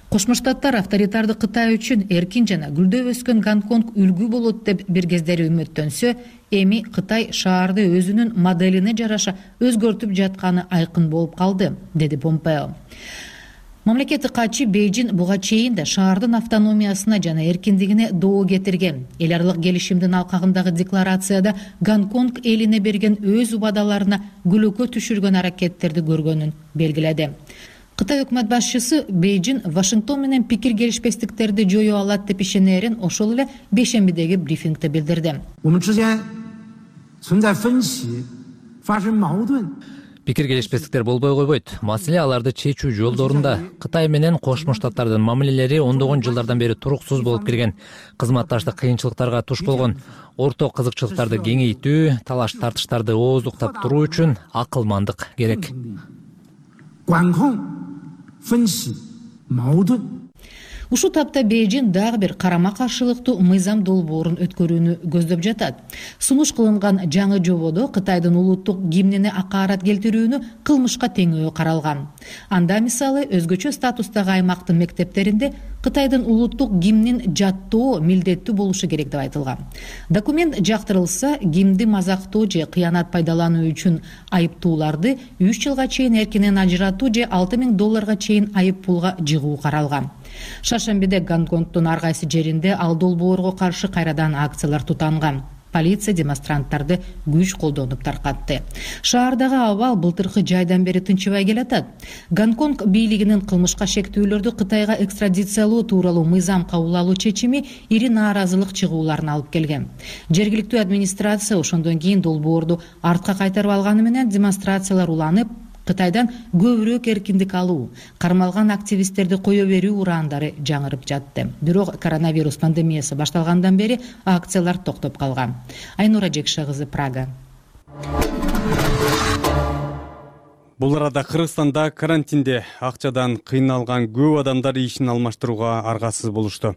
Кошмо Штаттар авторитардык Кытай үчүн эркин жана гүлдөп өскөн Гонконг үлгү болот деп бир кездери үмүттөнсө, эми Кытай шаарды өзүнүн моделине жараша өзгөртүп жатканы айкын болуп калды, деди Помпео. Мамлекеттик катчы Бейжиң буга чейин да шаардын автономиясына жана эркиндигине доо кетирген. Эл аралык келишимдин алкагындагы декларацияда Гонконг элине берген өз убадаларына күлөкө түшүргөн аракеттерди көргөнүн белгиледи. Кытай өкмөт башчысы Бейжиң Вашингтон менен пикир келишпестиктерди жою алат деп ишенерин ошол эле бейшембидеги брифингде билдирди. Пикир келишпестиктер болбой койбойт. Маселе аларды чечүү жолдорунда. Кытай менен Кошмо Штаттардын мамилелери ондогон жылдардан бери туруксуз болуп келген. Кызматташтык кыйынчылыктарга туш болгон. Орток кызыкчылыктарды кеңейтүү, талаш тартыштарды ооздуктап туруу үчүн акылмандык керек. Ушул тапта Бейжиң дагы бир карама каршылыктуу мыйзам долбоорун өткөрүүнү көздөп жатат. Сунуш кылынган жаңы жободо Кытайдын улуттук гимнине акаарат келтирүүнү кылмышка теңөө каралган. Анда мисалы өзгөчө статустагы аймактын мектептеринде Кытайдын улуттук гимнин жаттоо милдеттүү болушу керек деп айтылган. Документ жактырылса, гимнди мазактоо же кыянат пайдалануу үчүн айыптууларды 3 жылга чейин эркинен ажыратуу же $6,000 чейин айып пулга жыгуу каралган. Шаршембиде Гонконгдун ар кайсы жеринде ал долбоорго каршы кайрадан акциялар тутанган. Полиция демонстранттарды күч колдонуп таркатты. Шаардагы абал былтыркы жайдан бери тынчыбай келатат. Гонконг бийлигинин кылмышка шектүүлөрдү Кытайга экстрадициялоо тууралуу мыйзам кабыл алуу чечими ири нааразылык чыгууларын алып келген. Жергиликтүү администрация ошондон кийин долбоорду артка кайтарып алганы менен демонстрациялар уланып, Кытайдан көбүрөөк эркиндик алуу, кармалган активисттерди кое берүү ураандары жаңырып жатты. Бирок коронавирус пандемиясы башталгандан бери акциялар токтоп калган. Айнура Жекша кызы, Прага. Бул арада Кыргызстанда карантинде акчадан кыйналган көп адамдар ишин алмаштырууга аргасыз болушту.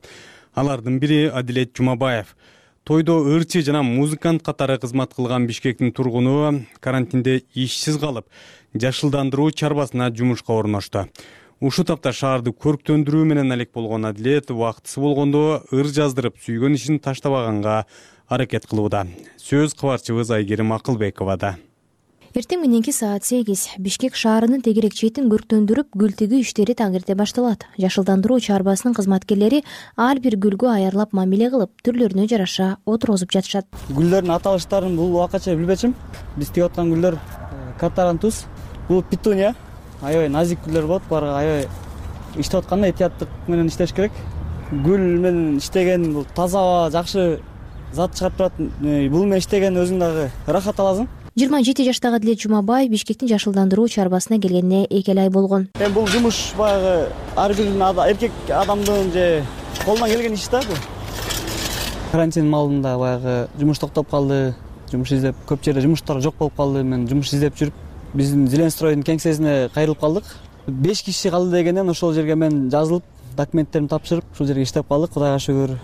Алардын бири Адилет Жумабаев. Тойдо ырчы жана музыкант катары кызмат кылган Бишкектин тургуну карантинде ишсиз калып, жашылдандыруу чарбасына жумушка орношту. Ушул тапта шаарды көрктөндүрүү менен алек болгон Адилет убактысы болгондо ыр жаздырып сүйгөн ишин таштабаганга аракет кылууда. Сөз кабарчыбыз Айгерим Акылбековада. Эртең мененки саат 8 Бишкек шаарынын тегерек четин көрктөндүрүп, гүл тигүү иштери таңерте башталат. Жашылдандыруу чарбасынын кызматкерлери ар бир гүлгө аярлап мамиле кылып, түрлөрүнө жараша отургузуп жатышат. Гүлдөрдүн аталыштарын бул убакача билбечим. Биз тигип аткан гүлдөр катарантус, бул петуния, аябай назик гүлдөр болот. Бара аябай иштеп атканда этияттык менен иштеш керек. Гүл менен иштеген бул таза, жакшы зат чыгарып турат. Бул менен иштеген өзүң дагы рахат аласың. 27 жаштагы Адилет Жумабаев Бишкектин жашылдандыруу чарбасына келгенине 2 ай болгон. Эми бул жумуш баягы ар бир эркек адамдын же колунан келген иш да бул. Карантин маалында баягы жумуш токтоп калды, жумуш издеп көп жерде жумуштар жок болуп калды. Мен жумуш издеп жүрүп биздин Зеленстройдун кеңсесине кайрылып калдык. 5 киши калды дегенден ошол жерге мен жазылып, документтеримди тапшырып, ушул жерге иштеп калдык. Кудайга шүгүр,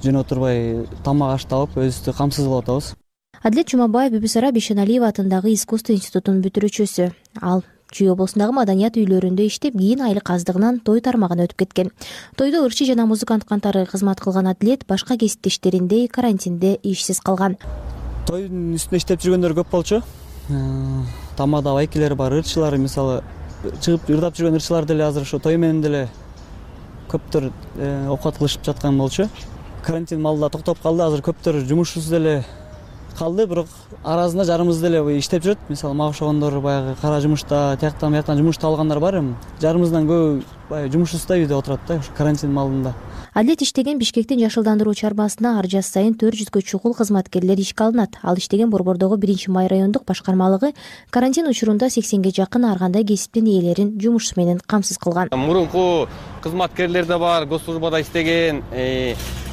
жөн отурбай тамак аш таап, өзүбүздү камсыз болуп атабыз. Адилет Жумабаев Бибисара Бишеналиева атындагы искусство институтунун бүтүрүүчүсү. Ал Чүй облусундагы маданият үйлөрүндө иштеп, кийин айлык аздыгынан той тармагына өтүп кеткен. Тойдо ырчы жана музыкант кантары кызмат кылган Адилет башка кесиптештериндей карантинде ишсиз калган. Тойдун үстүндө иштеп жүргөндөр көп болчу. Тамада байкелер бар, ырчылар, мисалы, чыгып ырдап жүргөн ырчылар деле азыр ошо той менен деле көптөр окат кылышып жаткан болчу. Карантин маалында токтоп калды, азыр көптөр жумушсуз деле калды, бирок арасында жарымыбыз деле иштеп жүрөт. Мисалы, мага окшогондор баягы кара жумушта, тияктан бияктан жумуш табылгандар бар эми. Жарымыбыздан көбү баягы жумушсуз да үйдө отурат да, карантин маалында. Адилет иштеген Бишкектин жашылдандыруу чарбасына ар жаз сайын 400гө чукул кызматкерлер ишке алынат. Ал иштеген Борбордогу 1-май райондук башкармалыгы карантин учурунда 80ге жакын ар кандай кесиптин ээлерин жумуш менен камсыз кылган. Мурунку кызматкерлер да бар, госслужбада иштеген,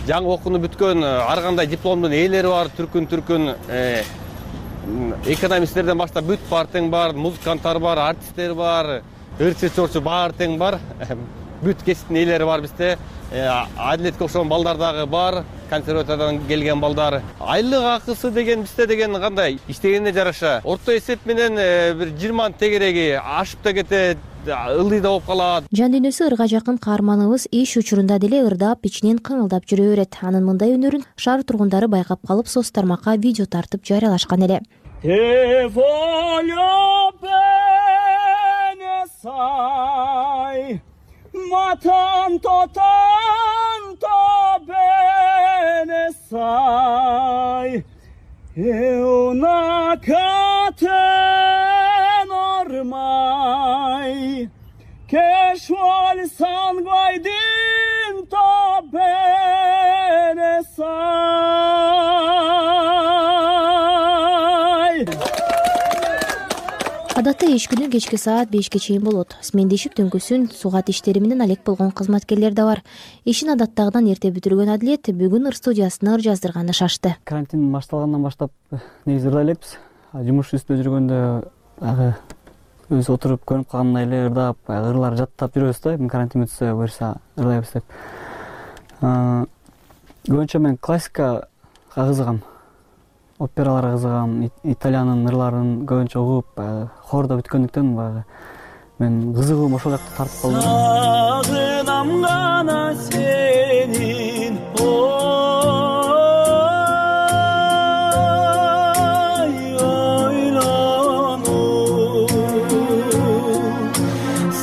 жаңы окууну бүткөн ар кандай дипломдун ээлери бар, түркүн экономисттерден баштап бүт бар тең бар, музыканттар бар, артисттер бар, ырчы чорчу бар тең бар. Бүт кесиптин ээлери бар бизде. Адилетке окшогон балдар дагы бар, консерваториядан келген балдар. Айлык акысы деген бизде деген кандай? Иштегенине жараша. Орто эсеп менен бир 20 тегереги ашып да кетет, ылдый да болуп калат. Жан дүйнөсү ырга жакын каарманыбыз иш учурунда деле ырдап, ичинен кыңылдап жүрө берет. Анын мындай өнөрүн шаар тургундары байкап калып, соц тармакка видео тартып жарыялашкан эле. Matan tanto bene sai una catena ormai che scioglie il sangue dentro bene sai. Адатта иш күнү кечки саат 5ке чейин болот. Смендешип түнкүсүн суугат иштери менен алек болгон кызматкерлер да бар. Ишин адаттагыдан эрте бүтүргөн Адилет бүгүн ыр студиясына ыр жаздырганы шашты. Карантин башталгандан баштап негизи ырдай элекпиз. Жумуш үстүндө жүргөндө өзү отуруп көрүнүп калгандай эле ырдап, ырлар жаттап жүрөбүз да. Карантин бүтсө буюрса ырдайбыз деп. Көбүнчө мен классикага кызыгам. Операларга кызыгам, итальяндын ырларын көбүнчө угуп, хордо бүткөндүктөн мен кызыгуум ошол жакта тартып калдым. Сагынам гана сенин, ойлону,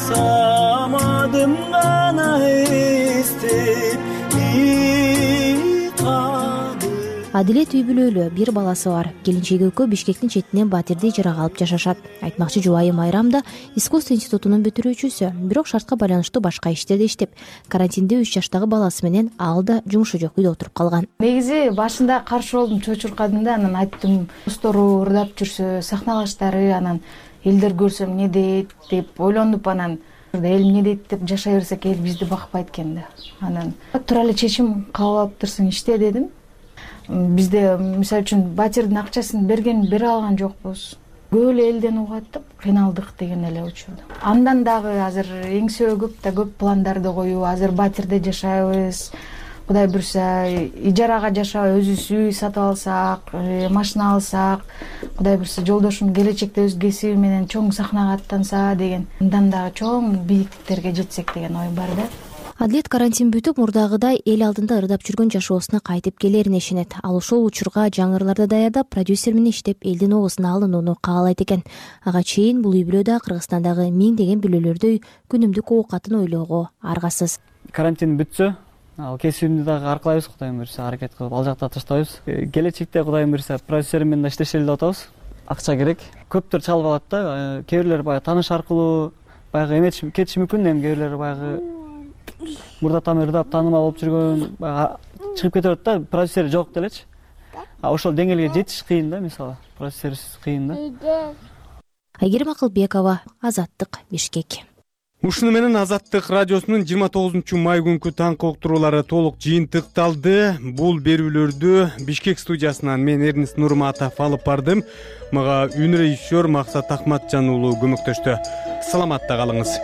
самадым гана эстеп. Адилет үй бүлөлүү, бир баласы бар. Келинчеги экөө Бишкектин четинен батирди ижарага алып жашашат. Айтмакчы жубайы Майрам да искусство институтунун бүтүрүүчүсү, бирок шартка байланыштуу башка иштерде иштеп. Карантинде 3 жаштагы баласы менен ал да жумушу жок үйдө отуруп калган. Негизи башында каршы болдум, чочуркадым да, анан айттым, достору ырдап жүрсө, сахналаштары, анан элдер көрсө эмне дейт деп ойлонуп, анан эл эмне дейт деп жашай берсек, эл бизди бакпайт экен да. Анан тура эле чечим кабыл алыптырсың, иште дедим. Бизде мисалы үчүн батирдин акчасын бере алган жокпуз. Көп эле элден угат деп кыйналдык деген эле учурда. Андан дагы азыр эңсөө көп пландарды коюп, азыр батирде жашайбыз. Кудай буйрса, ижарага жашап, өзүбүз үй сатып алсак, машина алсак, кудай буйрса жолдошум келечекте өз кесиби менен чоң сахнага аттанса деген, андан дагы чоң бийиктиктерге жетсек деген ой бар да. Адилет карантин бүтүп, мурдагыдай эл алдында ырдап жүргөн жашоосуна кайтып келерине ишенет. Ал ошол учурга жаңы ырларды даярдап, продюсер менен иштеп, элдин оозуна алынууну каалайт экен. Ага чейин бул үй бүлөдө Кыргызстандагы миңдеген бүлөлөрдөй күнүмдүк оокатын ойлоого аргасыз. Карантин бүтсө, ал кесибимди дагы аркылайбыз, кудайым буйрса, аракет кылып ал жакта таштабайбыз. Келечекте кудайым буйрса продюсерим менен да иштешели деп атабыз. Акча керек. Көптөр чалып алат да, кээ бирлер баягы тааныш аркылуу баягы эметип кетиши мүмкүн, эми кээ бирлер баягы мурда там ырдап таанымал болуп жүргөн, чыгып кете берет да, продюсери жок делечи. ошол деңгээлге жетиш кыйын да, мисалы процесс кыйын да. Айгерим Акылбекова, Азаттык, Бишкек. Ушуну менен Азаттык радиосунун 29 май күнкү таңкы уктуруулары толук жыйынтыкталды. Бул берүүлөрдү Бишкек студиясынан мен Эрнис Нурматов алып бардым. Мага үн режиссер Максат Акматжан уулу көмөктөштү. Саламатта калыңыз.